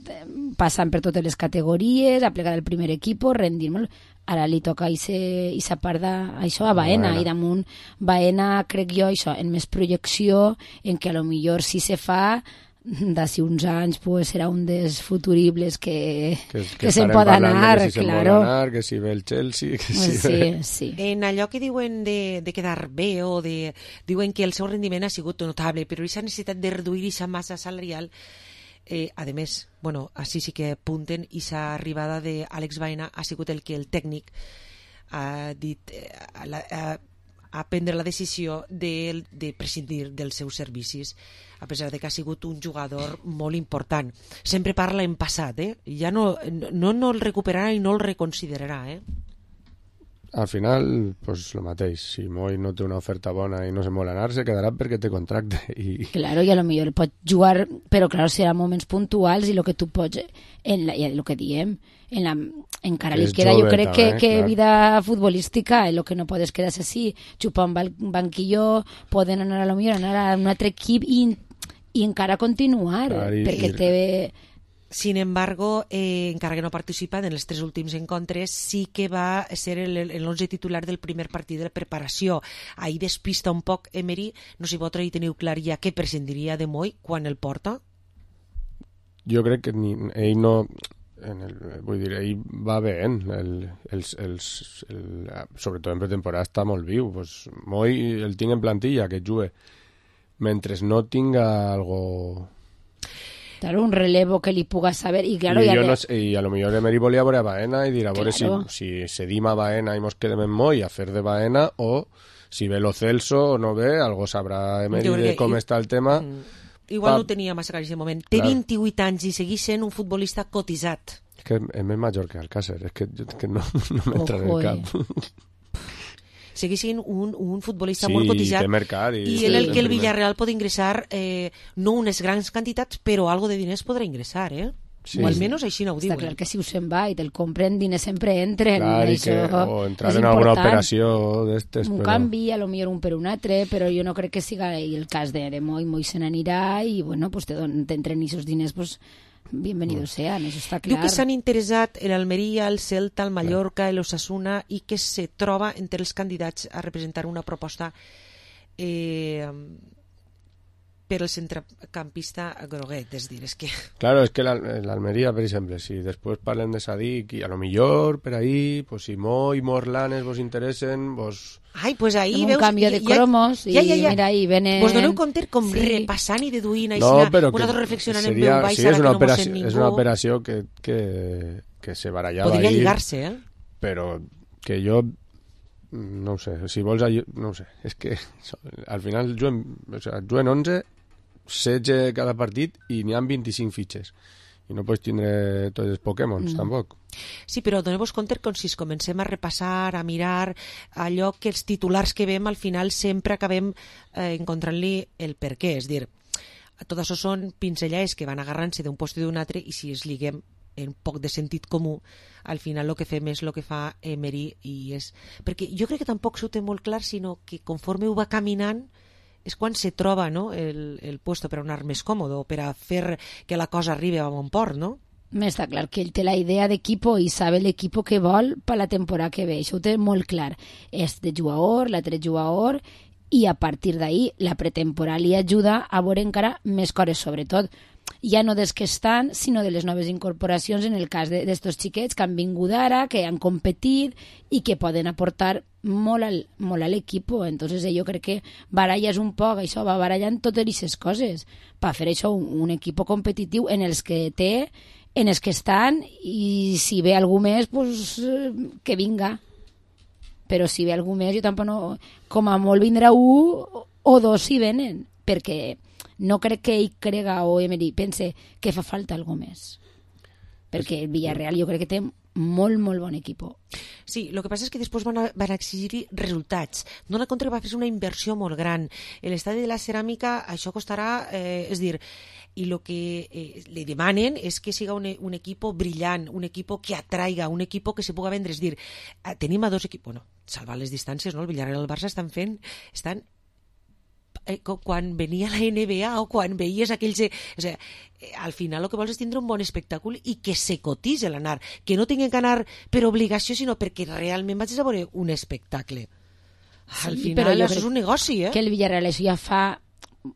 passant per totes les categories, ha plegat el primer equip, rendir molt. Ara li toca aquesta part d'això a Baena, i damunt Baena, crec jo, això, en més projecció, en què a lo millor si se fa, d'ací uns anys pues, serà un dels futuribles que se'n estarem pot parlant anar, que si claro. Se'n pot anar, que si ve el Chelsea, que si ve... Sí. En allò que diuen de quedar bé o diuen que el seu rendiment ha sigut notable, però aquesta necessitat de reduir aquesta massa salarial, a més, bueno, així sí que apunten, aquesta arribada d'Àlex Baena ha sigut el que el tècnic ha dit a prendre la decisió de prescindir dels seus servicis, a pesar de que ha sigut un jugador molt important. Sempre parla en passat, ja no el recuperarà i no el reconsiderarà, Al final, pues lo mateix. Si Moi no té una oferta bona i no se'n vol anar, se quedarà perquè té contracte. Claro, i a lo millor pot jugar, però claro, serà moments puntuals i el que tu pots, el que diem, encara li queda, jo crec que vida futbolística, el que no podes quedar-se així, xupar un banquillo, poden anar a lo millor a un altre equip i encara continuar, perquè té... Sin embargo, encara que no participa en els 3 últims encontres, sí que va ser l'11 titular del primer partit de la preparació. Ahir despista un poc Emery. No sé si vosaltres hi teniu clar ja què prescindiria de Moi quan el porta? Jo crec que ell no... vull dir, ell va bé, sobretot en pretemporada està molt viu. Pues, Moi el tinc en plantilla, que jugue. Mentre no tinga algo... Claro, un relevo que li puga saber i claro, i a lo millor Emery volia veure a Baena i dir a veure si cedim a Baena i mos quedem en Moi a fer de Baena o si ve Lo Celso o no ve, algo sabrà Emery de com està el tema. Igual no tenia massa clar en aquest moment. Té 28 anys i segueix sent un futbolista cotitzat. És que és més major que Alcácer, és que no m'entra en el cap. Segueix sent un futbolista molt cotitzat i el que el Villarreal pot ingressar no unes grans quantitats, però algo de diners podrà ingressar, o almenys així no ho diuen. Està clar que si ho se'n va i te'l compren, diners sempre entren. O entrar en alguna operació d'estes. Un canvi, a lo millor un per un altre, però jo no crec que siga el cas de Moi se n'anirà i bueno, pues t'entren aquests diners, pues bienvenidos sean, eso está clar. Diu que s'han interessat l'Almeria, el Celta, el Mallorca, l'Osasuna i que se troba entre els candidats a representar una proposta per al centrecampista groguet, és dir, és que... Claro, es que l'Almeria, per exemple, si després parlem de Sadik i a lo millor per ahí, pues si Moi, Morlanes vos interessen, vos... Ai, pues ahí veus... Un canvi de cromos i mira, ahí venen... Vos doneu compte com repassant i deduint vosaltres reflexionant en veu baixa que no mos sent ningú. És una operació que se barallava podria lligar-se, però que jo no ho sé, si vols no ho sé, és que al final juguen 11 16 cada partit i n'hi ha 25 fitxes i no pots tindre tots els Pokémons, tampoc. Sí, però doneu-vos compte que si comencem a repassar, a mirar allò que els titulars que veiem, al final sempre acabem encontrant-li el per què, és dir, tot això són pinzellades que van agarrant-se d'un lloc i d'un altre i si es liguem en poc de sentit comú, al final el que fem és el que fa Emery i és... Perquè jo crec que tampoc s'ho té molt clar, sinó que conforme ho va caminant és quan se troba, no, el puesto per anar més còmodo, per a fer que la cosa arribi a bon port, no? Està clar que ell té la idea d'equipo i sabe l'equipo que vol per la temporada que ve, això ho té molt clar. És de jugador, l'altre jugador, i a partir d'ahí la pretemporada li ajuda a veure encara més coses, sobretot ja no dels que estan, sinó de les noves incorporacions en el cas d'estos xiquets que han vingut ara, que han competit i que poden aportar molt a l'equip. Entonces jo crec que baralles un poc, això va barallant totes aquestes coses per fer això un equip competitiu en els que té, en els que estan, i si ve algú més, pues, que vinga. Però si ve algú més, jo tampoc no... Com a molt vindrà un o dos si venen, perquè no crec que ell crega o Emery pense que fa falta algo més. Perquè el Villarreal jo crec que té molt, molt bon equip. Sí, el que passa és que després van exigir resultats. Dona compte que va fer una inversió molt gran. L'estadi de la ceràmica, això costarà, és dir, i el que li demanen és que siga un equip brillant, un equip que atraiga, un equip que se puga vendre. És dir, tenim a dos equips, bueno, salvant les distàncies, no? El Villarreal i el Barça estan quan venia la NBA o quan veies aquells... O sigui, al final el que vols és tindre un bon espectacle i que se cotitzi l'anar, que no tinguin que anar per obligació, sinó perquè realment vaig a veure un espectacle. Al final això és un negoci, que el Villarreal això ja fa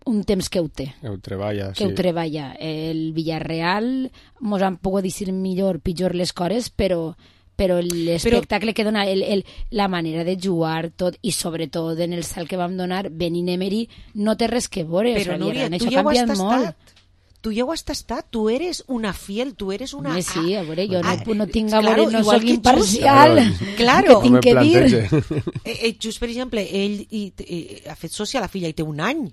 un temps que ho té. Ho treballa, que ho treballa. El Villarreal mos han pogut dir millor, pitjor les coses, però l'espectacle que dona, la manera de jugar, tot, i sobretot en el salt que vam donar, Benin Emery, no té res que veure. Però, Núria, tu ja ho has tastat. Tu ja ho has tastat, tu eres una fiel, tu eres una... Sí, a veure, jo no tinc a veure, no soc imparcial. Claro. Què tinc que dir? Just, per exemple, ell ha fet soci a la filla i té un any.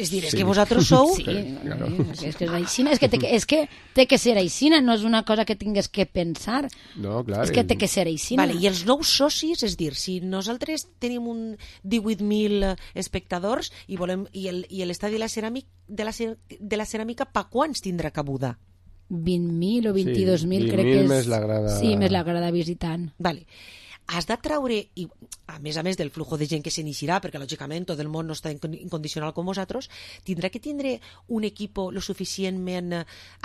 És dir, és que vosaltres sou... Sí, és que és aixina, és que té que ser aixina, no és una cosa que tingues que pensar. No, clar. És que té que ser aixina. Vale, i els nous socis, és dir, si nosaltres tenim un 18.000 espectadors i l'estadi de la ceràmica, pa quants tindrà cabuda? 20.000 o 22.000, crec que és... més la grada... Sí, més la grada visitant. Vale. Has de treure, i a més del flujo de gent que se n'eixirà, perquè lògicament tot el món no està incondicional com vosaltres, tindrà que tindre un equip lo suficientment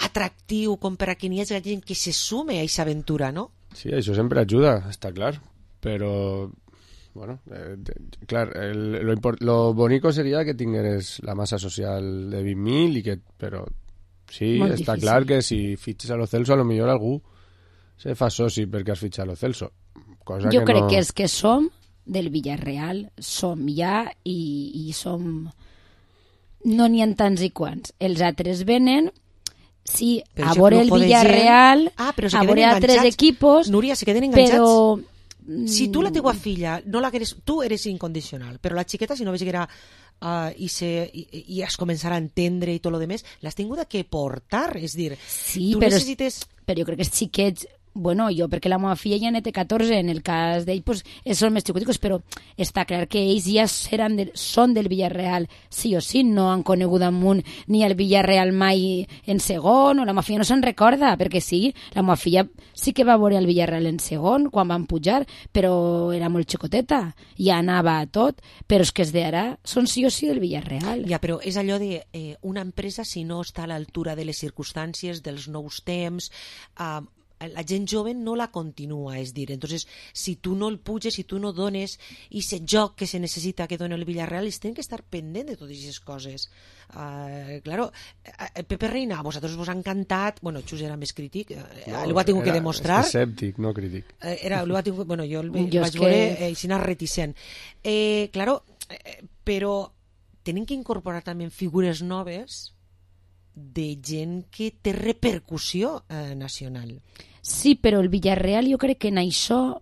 atractiu com per a que n'hi hagi gent que se sume a aquesta aventura, no? Sí, això sempre ajuda, està clar, però... Bueno, clar, lo bonico seria que tingueres la massa social de 20.000 i que... Però sí, molt està difícil. Clar que si fitxes a lo Celso, a lo millor algú se fa soci perquè has fitxat a lo Celso. Cosa jo que crec no... que és que som del Villarreal, som ja i som... No n'hi ha tants i quants. Els altres venen, sí, a veure el Villarreal, a veure altres equipos, Núria, se queden enganxats. Però... Si tu la teua filla, no la queres, tu eres incondicional, però la xiqueta, si no veig que era... i es començarà a entendre i tot lo demés, l'has tinguda que portar, és dir, sí, tu necessites... Però jo crec que els xiquets... Bueno, jo perquè la meva filla ja n'hi té 14, en el cas d'ell pues, són més xicoticos, però està clar que ells ja són del Villarreal, sí o sí, no han conegut amunt ni el Villarreal mai en segon, o la meva filla no se'n recorda, perquè sí, la meva filla sí que va veure el Villarreal en segon, quan van pujar, però era molt xicoteta, ja anava a tot, però és que els d'ara són sí o sí del Villarreal. Ja, però és allò de una empresa, si no està a l'altura de les circumstàncies, dels nous temps, la gent jove no la continua, és dir, entonces si tu no el puges, si tu no dones i ese joc que se necessita que doni el Villarreal, ells tenen que estar pendent de totes aquestes coses. Claro, Pepe Reina, a vosaltres vos ha encantat, bueno, Xus era més crític, ho ha tingut que demostrar. Escèptic, no crític. Bueno, jo el vaig veure així reticent. Claro, però tenen que incorporar també figures noves de gent que té repercussió nacional. Sí, però el Villarreal jo crec que en això,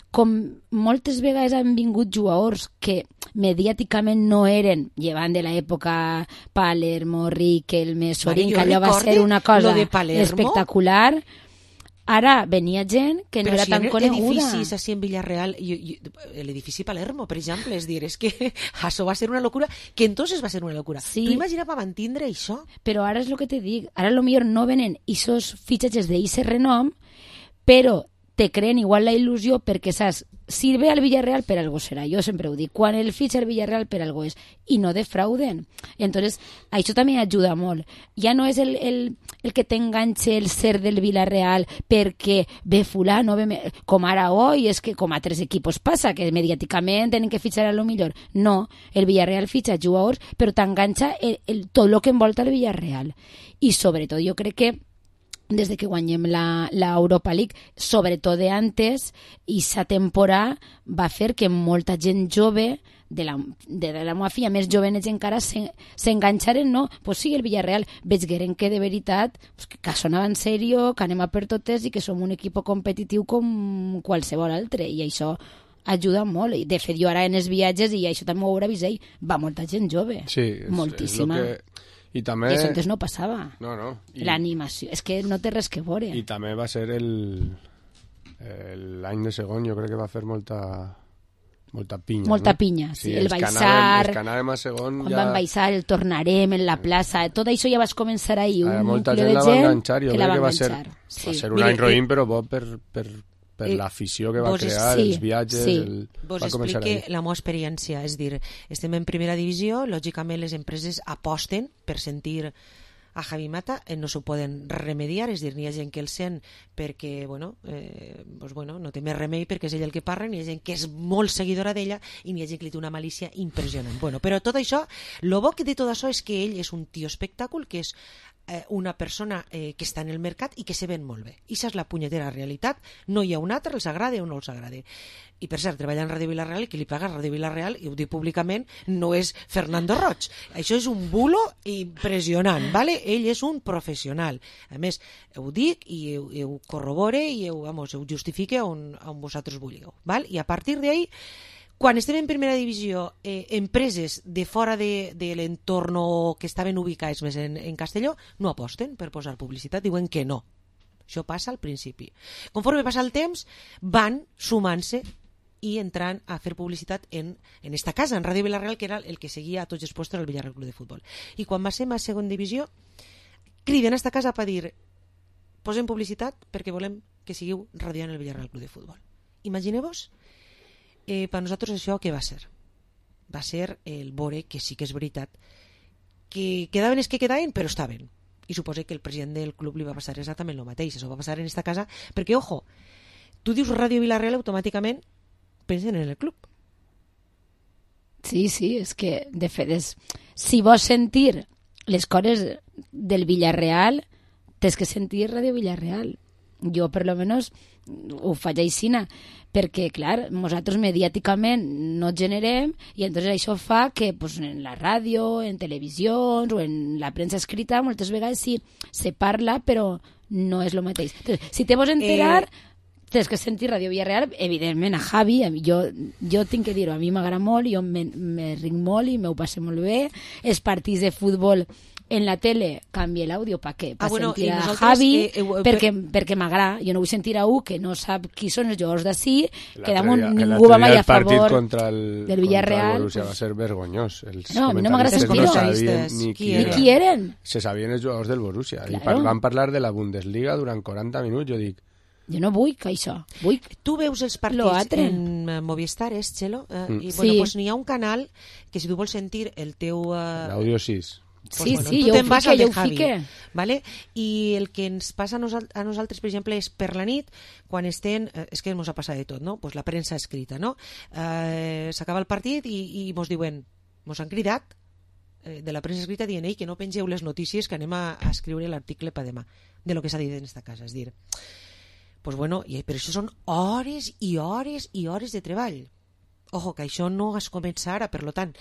com moltes vegades han vingut jugadors que mediàticament no eren, llevant de l'època Palermo, Riquelme, Sorín, que allò va ser una cosa espectacular. Ara venia gent que no era tan coneguda. Però si edificis així en Villarreal, l'edifici Palermo, per exemple, és dir, és que això va ser una locura, que entonces va ser una locura. Sí. Tu imagina per mantindre això? Però ara és el que te dic, ara potser no venen aquests fitxatges d'eixe renom, però te creen igual la il·lusió perquè saps, si ve al Villarreal per algo serà, jo sempre ho dic, quan el fitxa el Villarreal per algo és, i no defrauden. Entonces, això també ajuda molt. Ja no és el que t'enganxe el ser del Villarreal perquè ve fulano, com ara hoy, és que com a altres equipos passa, que mediàticament tenen que fitxar a lo millor. No, el Villarreal fitxa jugadors, però t'enganxa tot el que envolta el Villarreal. I sobretot jo crec que des de que guanyem l'Europa League, sobretot de antes, i sa temporada va fer que molta gent jove de la meva filla, més jovenets encara, s'enganxaren, no? Pues sí, el Villarreal, veigueren que de veritat que sonava en sèrio, que anem a per totes i que som un equip competitiu com qualsevol altre, i això ajuda molt. De fet, jo ara en els viatges, i això també ho haurà vist ell, va molta gent jove, sí, moltíssima. I també... I això antes no passava. No. L'animació. És que no té res que veure. I també va ser l'any de segon, jo crec que va fer molta pinya. Molta no? pinya, sí. El baixar... Els que anàvem a segon quan van baixar, el tornarem en la plaça, tot això ja vas començar ahir. Molta gent la va enganxar, jo crec que va ser un any roïn, però bo per l'afició que va crear, els viatges... Vos explique la meva experiència, és dir, estem en primera divisió, lògicament les empreses aposten per sentir a Javi Mata no s'ho poden remediar, és dir, n'hi ha gent que el sent perquè, no té més remei perquè és ell el que parla, n'hi ha gent que és molt seguidora d'ella i n'hi ha gent que li té una malícia impressionant. Però tot això, lo bo de tot això és que ell és un tio espectacle, que és una persona que està en el mercat i que se ven molt bé. I això és la punyetera realitat. No hi ha un altre, els agrada o no els agrada. I per cert, treballa en Ràdio Vila-real i qui li paga a Ràdio Vila-real, i ho dic públicament, no és Fernando Roig. Això és un bulo impressionant, ¿vale? Ell és un professional. A més, ho dic i ho corrobore i ho justifique on vosaltres vulgueu, ¿vale? I a partir d'ahí, quan estem en primera divisió, empreses de fora de l'entorn que estaven ubicats més en Castelló no aposten per posar publicitat, diuen que no. Això passa al principi. Conforme passa el temps, van sumant-se i entrant a fer publicitat en esta casa, en Ràdio Vila-real, que era el que seguia a tots els puestos al Villarreal Club de Futbol. I quan va ser a segona divisió, criden a esta casa per dir posem publicitat perquè volem que siguiu radiant el Villarreal Club de Futbol. Imagineu-vos per nosaltres això què va ser? Va ser el veure que sí que és veritat que quedaven els que quedaven, però estaven. I suposo que el president del club li va passar exactament el mateix. Això va passar en esta casa, perquè, ojo, tu dius Ràdio Vila-real, automàticament pensen en el club. Sí, és que, de fet, si vols sentir les coses del Villarreal, tens que sentir Ràdio Vila-real. Jo, per lo menos, ho faig aixina, perquè, clar, nosaltres mediàticament no generem i entonces això fa que pues, en la ràdio, en televisions o en la premsa escrita moltes vegades sí se parla, però no és el mateix. Entonces, si te vols enterar, tens que sentir Ràdio Villarreal, evidentment a Javi, jo tinc que dir-ho, a mi m'agrada molt, jo me ric molt i m'ho passo molt bé, els partits de futbol en la tele canvia l'àudio per què? Per sentir a Javi, perquè m'agrada. Jo no vull sentir a un que no sap qui són els jugadors d'ací, que damunt ningú va mai a favor del Villarreal. El Borussia va ser vergonyós. No, a mi no m'agrada sentir-ho. Ni qui eren. Se sabien els jugadors del Borussia. I van parlar de la Bundesliga durant 40 minuts, jo dic. Jo no vull que això. Tu veus els partits en Movistar, Txelo? I doncs n'hi ha un canal que si tu vols sentir el teu... L'àudio 6. Sí, jo ho fique. Vale? I el que ens passa a nosaltres, per exemple, és per la nit, quan estem... És que ens ha passat de tot, no? Pues la premsa escrita, no? S'acaba el partit i mos diuen, mos han cridat de la premsa escrita dient que no pengeu les notícies que anem a escriure l'article per demà, de lo que s'ha dit en esta casa. És dir, pues bueno, però això són hores i hores i hores de treball. Ojo, que això no es comença ara, per lo tant...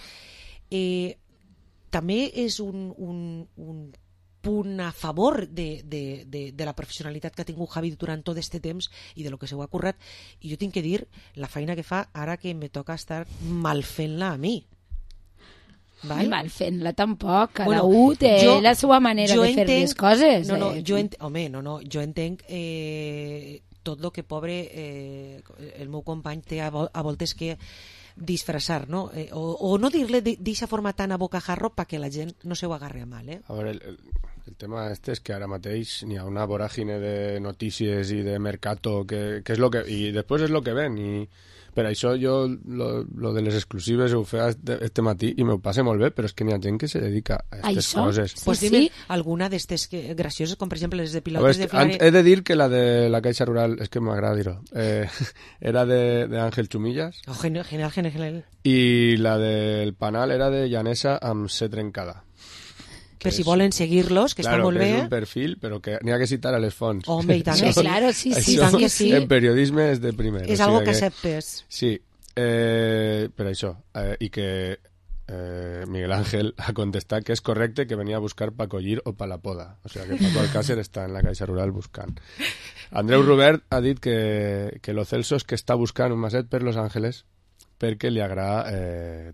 també és un punt a favor de la professionalitat que ha tingut Javi durant tot aquest temps i de lo que se ho ha currat, i jo tinc que dir la feina que fa ara que me toca estar mal fent-la a mi. Mal fent-la tampoc, cada un té la seva manera de fer les coses. Jo entenc tot el que pobre el meu company té a voltes que disfressar, no? O no dir-le d'eixa forma tan a bocajarro perquè la gent no se ho agarre a mal, A veure, el tema és que ara mateix n'hi ha una voràgine de notícies i de mercato que és lo que... I després és lo que ven, i per això jo lo de les exclusives ho feia este matí i m'ho passe molt bé, però és que n'hi ha gent que se dedica a aquestes coses. Pues dime alguna d'estes gracioses, com per exemple les de pilotes de Flare... He de dir que la de la Caixa Rural, és que m'agrada dir-ho, era de Ángel Chumillas. Genial. I la del Panal era de Llanesa amb C trencada. Per si volen seguir-los, que està molt bé. Claro, que és un perfil, però que n'hi ha que citar a les fonts. Home, i tant que sí. Claro, sí, tant que sí. En periodisme és de primer. És algo que acceptes. Sí, per això. I que Miguel Ángel ha contestat que és correcte que venia a buscar pa collir o pa la poda. O sigui que Paco Alcácer està en la Caixa Rural buscant. Andreu Robert ha dit que lo Celso és que està buscant un maset per Los Ángeles perquè li agrada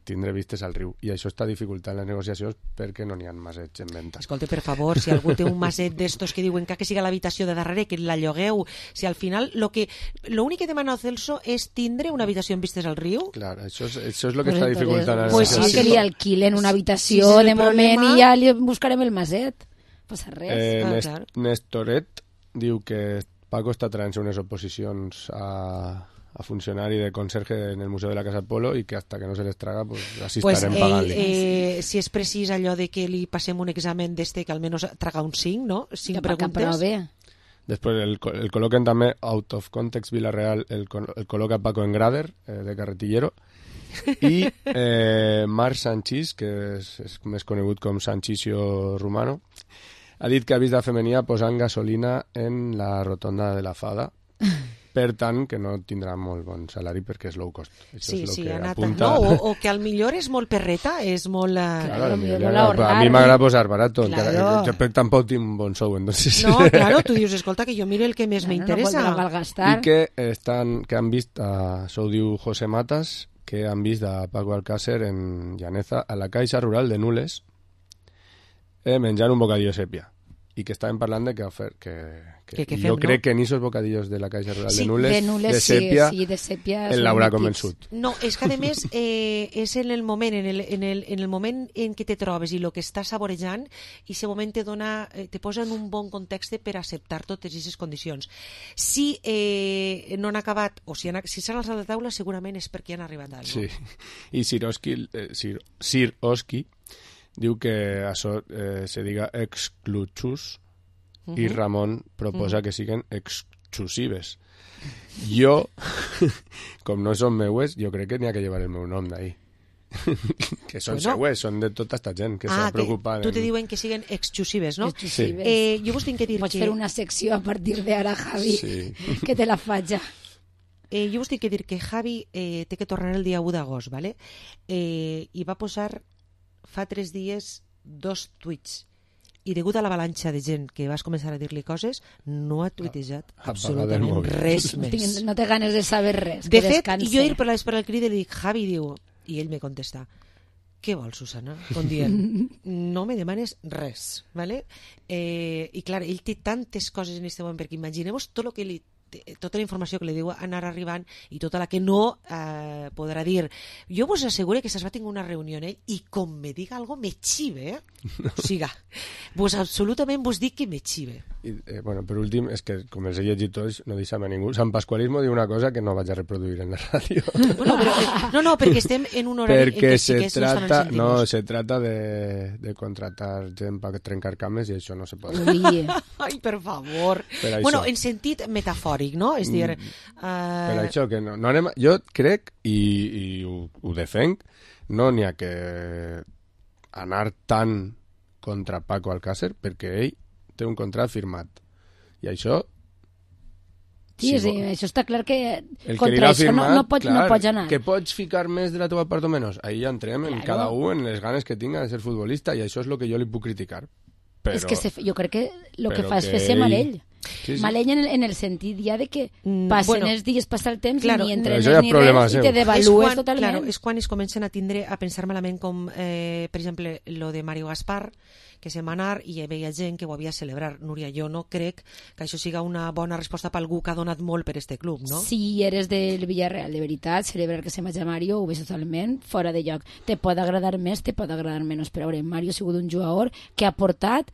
tindre vistes al riu, i això està dificultant les negociacions perquè no n'hi ha masets en venda. Escolta, per favor, si algú té un maset d'estos que diuen que siga l'habitació de darrere, que la llogueu, si al final l'únic que demana el Celso és tindre una habitació amb vistes al riu. Clar, això és el que està dificultant. Pues sí, que li alquilen una habitació de moment i ja li buscarem el maset. Passa res. Nestoret diu que Paco està traient unes oposicions a funcionari de conserje en el Museu de la Casa Polo i que hasta que no se les traga, pues así estarem pagant-li. Si és precís allò de que li passem un examen d'este que almenys traga un 5, no? 5 preguntes. Després el col·loquen també Out of Context Villarreal, el col·loca Paco Engrader, de Carretillero, i Marc Sanchís, que és més conegut com Sanchicio Romano, ha dit que ha vist la femenia posant gasolina en la rotonda de la Fada, per tant que no tindrà molt bon salari perquè és low cost. Això és el que apunta. No, o que al millor és molt perreta, és molt... Claro, a mi m'agrada posar barato, jo tampoc tinc un bon sou, entonces... No, claro, tu dius, escolta, que jo miro el que més m'interessa. I que han vist, això ho diu José Matas, que han vist a Paco Alcácer en Llaneza, a la Caixa Rural de Nules, menjant un bocadillo sèpia. I que estàvem parlant de que jo crec que en esos bocadillos de la Caixa Rural de Nules, de sèpia el l'haurà convençut. No, és que a més és en el moment en què te trobes i el que estàs saborejant, i aquest moment te posa en un bon context per acceptar totes aquestes condicions. Si no han acabat, o si s'han alçat la taula, segurament és perquè han arribat a alguna cosa. Sí, i Sir Oski diu que això se diga excluchus i Ramon proposa que siguen exclusives. Jo, com no són meues, jo crec que n'hi ha que llevar el meu nom d'ahí. Que són seues, són de tota esta gent que s'ha preocupat. Tu te diuen que siguen exclusives, no? Exclusives. Jo vos tinc que dir Pots fer una secció a partir d'ara, Javi, que te la faig ja. Jo vos tinc que dir que Javi té que tornar el dia 1 d'agost, ¿vale? I va posar fa 3 dies 2 tuits, i degut a l'avalanxa de gent que vas començar a dir-li coses, no ha tuitejat absolutament res més. No té ganes de saber res. De fet, jo ir per el crit i li dic, Javi, diu, i ell me contesta, què vols, Susana? Com dient, no me demanes res, ¿vale? I clar, ell té tantes coses en aquest moment, perquè imagineu-vos tot el que tota la informació que li diu anar arribant i tota la que no podrà dir. Jo vos asseguro que se'ls va tenir una reunió en ell i com me diga algo me xive, O sigui, vos absolutament vos dic que me xive. Bueno, per últim, és que com els he llegit tots, no deixem a ningú. Sant Pasqualismo diu una cosa que no vaig a reproduir en la ràdio. Bueno, però, no, perquè estem en un horari perquè en què sí que no estan sentimos. No, se trata de contratar gent per trencar cames i això no se pot. Ai, per favor. Bueno, en sentit metafòric, no? És dir... Per això que no anem... Jo crec, i ho defenc, no n'hi ha que anar tan contra Paco Alcácer, perquè ell té un contrat firmat. I això... Sí, això està clar que contra això firmat, no pots anar. Que pots ficar més de la teva part o menys. Ahí ja entrem en cada un, en les ganes que tinga de ser futbolista, i això és el que jo li puc criticar. Però, és que jo crec que el que fa és fer-se malell. Sí. Malell en el sentit ja de que passen els dies, passa el temps, i ni entrenes ni res, i te devalues totalment. Claro, és quan es comencen a tindre a pensar malament, com per exemple lo de Mario Gaspar, que se'n va anar i hi veia gent que ho havia a celebrar. Núria, jo no crec que això siga una bona resposta per algú que ha donat molt per este club, no? Si eres del Villarreal, de veritat, celebrar que se vagi Mario ho veig totalment fora de lloc. Te pot agradar més, te pot agradar menys, però Mario ha sigut un jugador que ha portat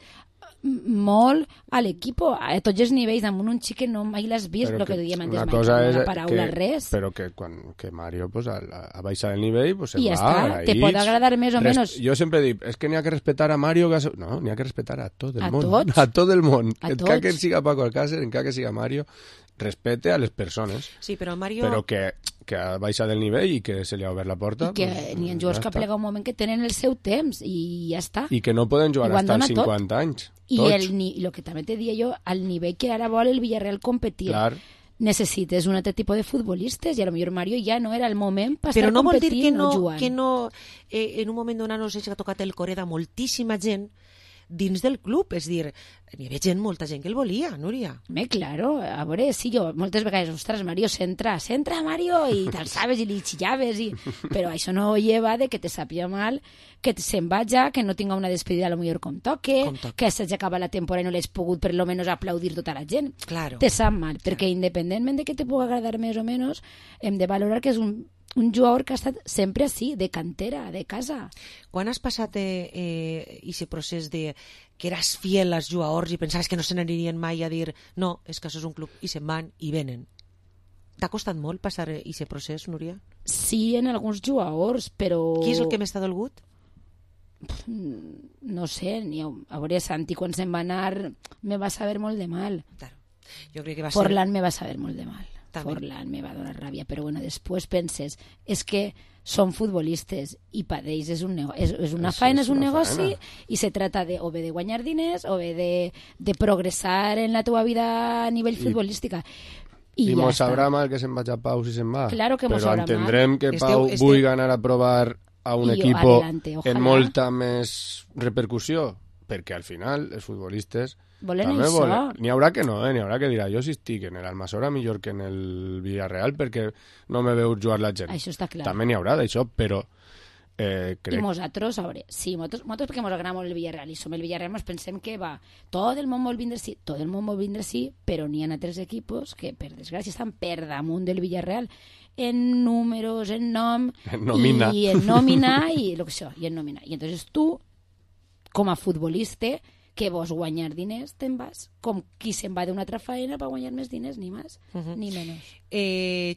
molt a l'equip a tots els nivells, amb un xic que no mai l'has vist, el que diem antes, una paraula, res. Però que quan Mario pues, ha baixat el nivell, pues, i ja està, te pot agradar més o menys. Jo sempre dic, és que n'hi ha que respetar a Mario, no, n'hi ha que respetar a tot el món. A tot el món. Encara que siga Paco Alcácer, encara que siga Mario, respete a les persones. Sí, però Mario... Però que ha baixat el nivell i que se li ha obert la porta. I que n'hi ha jugadors que plega un moment que tenen el seu temps i ja està. I que no poden jugar fins als 50 anys. I el que també te dia jo, al nivell que ara vol el Villarreal competir, necessites un altre tipus de futbolistes, i a lo millor Mario ja no era el moment per estar competint o jugant. Però no vol dir que en un moment donat no s'ha tocat el core de moltíssima gent dins del club, és dir, n'hi havia gent, molta gent que el volia, Núria. Claro, a veure, sí, jo moltes vegades, ostres, Mario, centra, Mario, i t'alçaves i li xillaves, però això no lleva de que te sàpia mal, que se'n vaja, que no tinga una despedida a lo millor com toque, que s'hagi acabat la temporada i no l'has pogut per lo menos aplaudir tota la gent. Claro. Te sap mal, perquè independentment de que te pugui agradar més o menys, hem de valorar que és un jugador que ha estat sempre així, de cantera, de casa. Quan has passat aquest procés de que eres fiel als jugadors i pensaves que no se n'anirien mai a dir no, és que això és un club i se'n van i venen? T'ha costat molt passar aquest procés, Núria? Sí, en alguns jugadors, però... Qui és el que més t'ha dolgut? No sé, a veure, Santi quan se'n va anar me va saber molt de mal. Claro. Jo crec que va Forlán me va saber molt de mal. També. Forlán me va donar ràbia, però bueno, després penses, és que són futbolistes i per ells és una faena, és un negoci i se trata de o bé de guanyar diners o bé de progressar en la teva vida a nivell futbolística. I mos sabrà mal que se'n vaig a Pau si se'n va. Claro que mos però sabrà entendrem que Pau vulgui anar a provar a un equipo en molta més repercussió, perquè al final els futbolistes volen això. N'hi haurà que no, n'hi haurà que dirà jo si estic en l'Almassora millor que en el Villarreal perquè no me veu jugar la gent. Això està clar. També n'hi haurà d'això, però crec... I nosaltres, a veure, sí, nosaltres perquè ens agrada molt el Villarreal i som el Villarreal, ens pensem que va, tot el món vol vindre sí, però n'hi ha altres equipos que, per desgràcia, estan per damunt del Villarreal en números, en nom, en nòmina. I en nòmina i lo que això, i en nòmina. I entonces tu, com a futbolista, que vols guanyar diners, te'n vas com qui se'n va d'una altra faena per guanyar més diners, ni més, ni menys.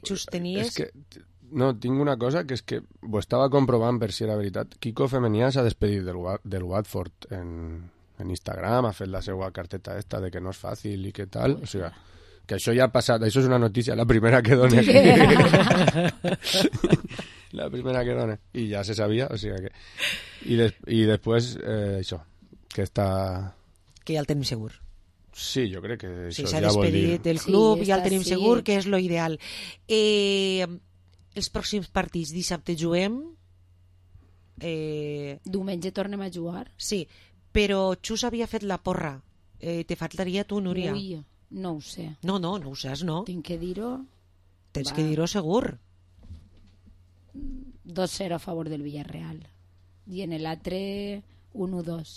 Xus, tenies... És que, no, tinc una cosa que és que ho estava comprovant per si era veritat. Kiko Femenià s'ha despedit del Watford en Instagram, ha fet la seva carteta esta de que no és fàcil i que tal, o sigui, que això ja ha passat, això és una notícia, la primera que dona. La primera que dona. I ja se sabia, o sigui que... I després, això, que està... Que ja el tenim segur. Sí, jo crec que això s'ha ja vol dir... despedit del club, ja el tenim segur, que és lo ideal. Els pròxims partits, dissabte juguem... Diumenge tornem a jugar. Sí, però Xus havia fet la porra. Te faltaria tu, Núria? Ui, no ho sé. No ho saps, no? Tinc que dir-ho. Tens que dir-ho segur. 2-0 a favor del Villarreal. I en l'altre 1-2.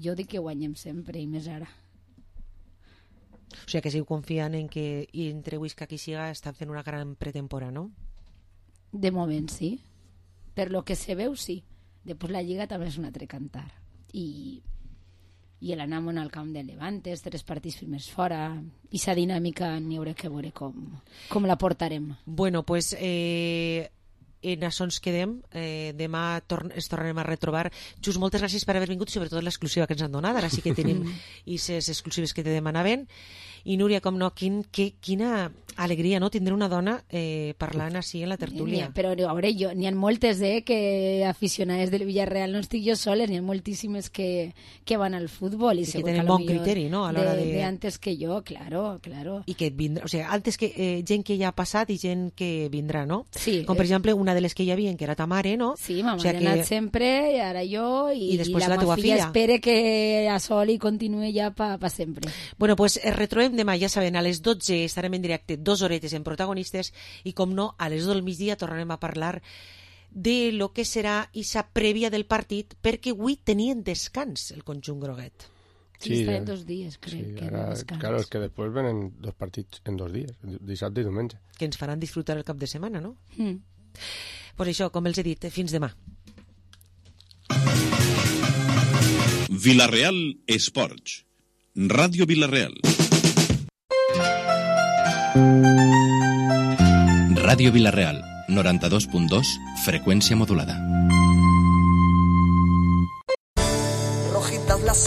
Jo dic que guanyem sempre i més ara. O sigui que sigo confiant en que entre Huesca i Siga estan fent una gran pretemporada, no? De moment sí. Per lo que se veu sí. Després la Lliga també és un altre cantar. I l'anam al camp de Levantes, 3 partits primers fora, i sa dinàmica n'hi haurà que veure com la portarem. Bueno, pues en això ens quedem. Demà ens tornarem a retrobar. Xus, moltes gràcies per haver vingut, sobretot l'exclusiva que ens han donat. Ara sí que tenim aquestes exclusives que te demanaven. I Núria, com no, quina alegria, no?, tindre una dona parlant així en la tertúlia. Però a veure, n'hi ha moltes que aficionades del Villarreal, no estic jo soles, n'hi ha moltíssimes que van al futbol. I que tenen bon criteri, no?, a l'hora de antes que jo, claro. I que vindrà, o sigui, antes que gent que ja ha passat i gent que vindrà, no? Sí. Com per exemple una de les que hi havia, que era ta mare, no? Sí, ma mare ha anat sempre, i ara jo, i la meva filla espera que a sol i continuï ja pa sempre. Bueno, pues retrobem demà, ja saben, a les 12 estarem en directe 2 horetes en Protagonistes i, com no, a les 2 del migdia tornarem a parlar de lo que serà esa prèvia del partit, perquè avui tenien descans el conjunt groguet. Sí, estarem 2 dies, crec, sí, que ara, descans. Claro, és que després venen 2 partits en 2 dies, dissabte i diumenge. Que ens faran disfrutar el cap de setmana, no? Pues això, com els he dit, fins demà. Vilareal Esports. Ràdio Vilareal. Ràdio Vilareal, 92.2, freqüència modulada.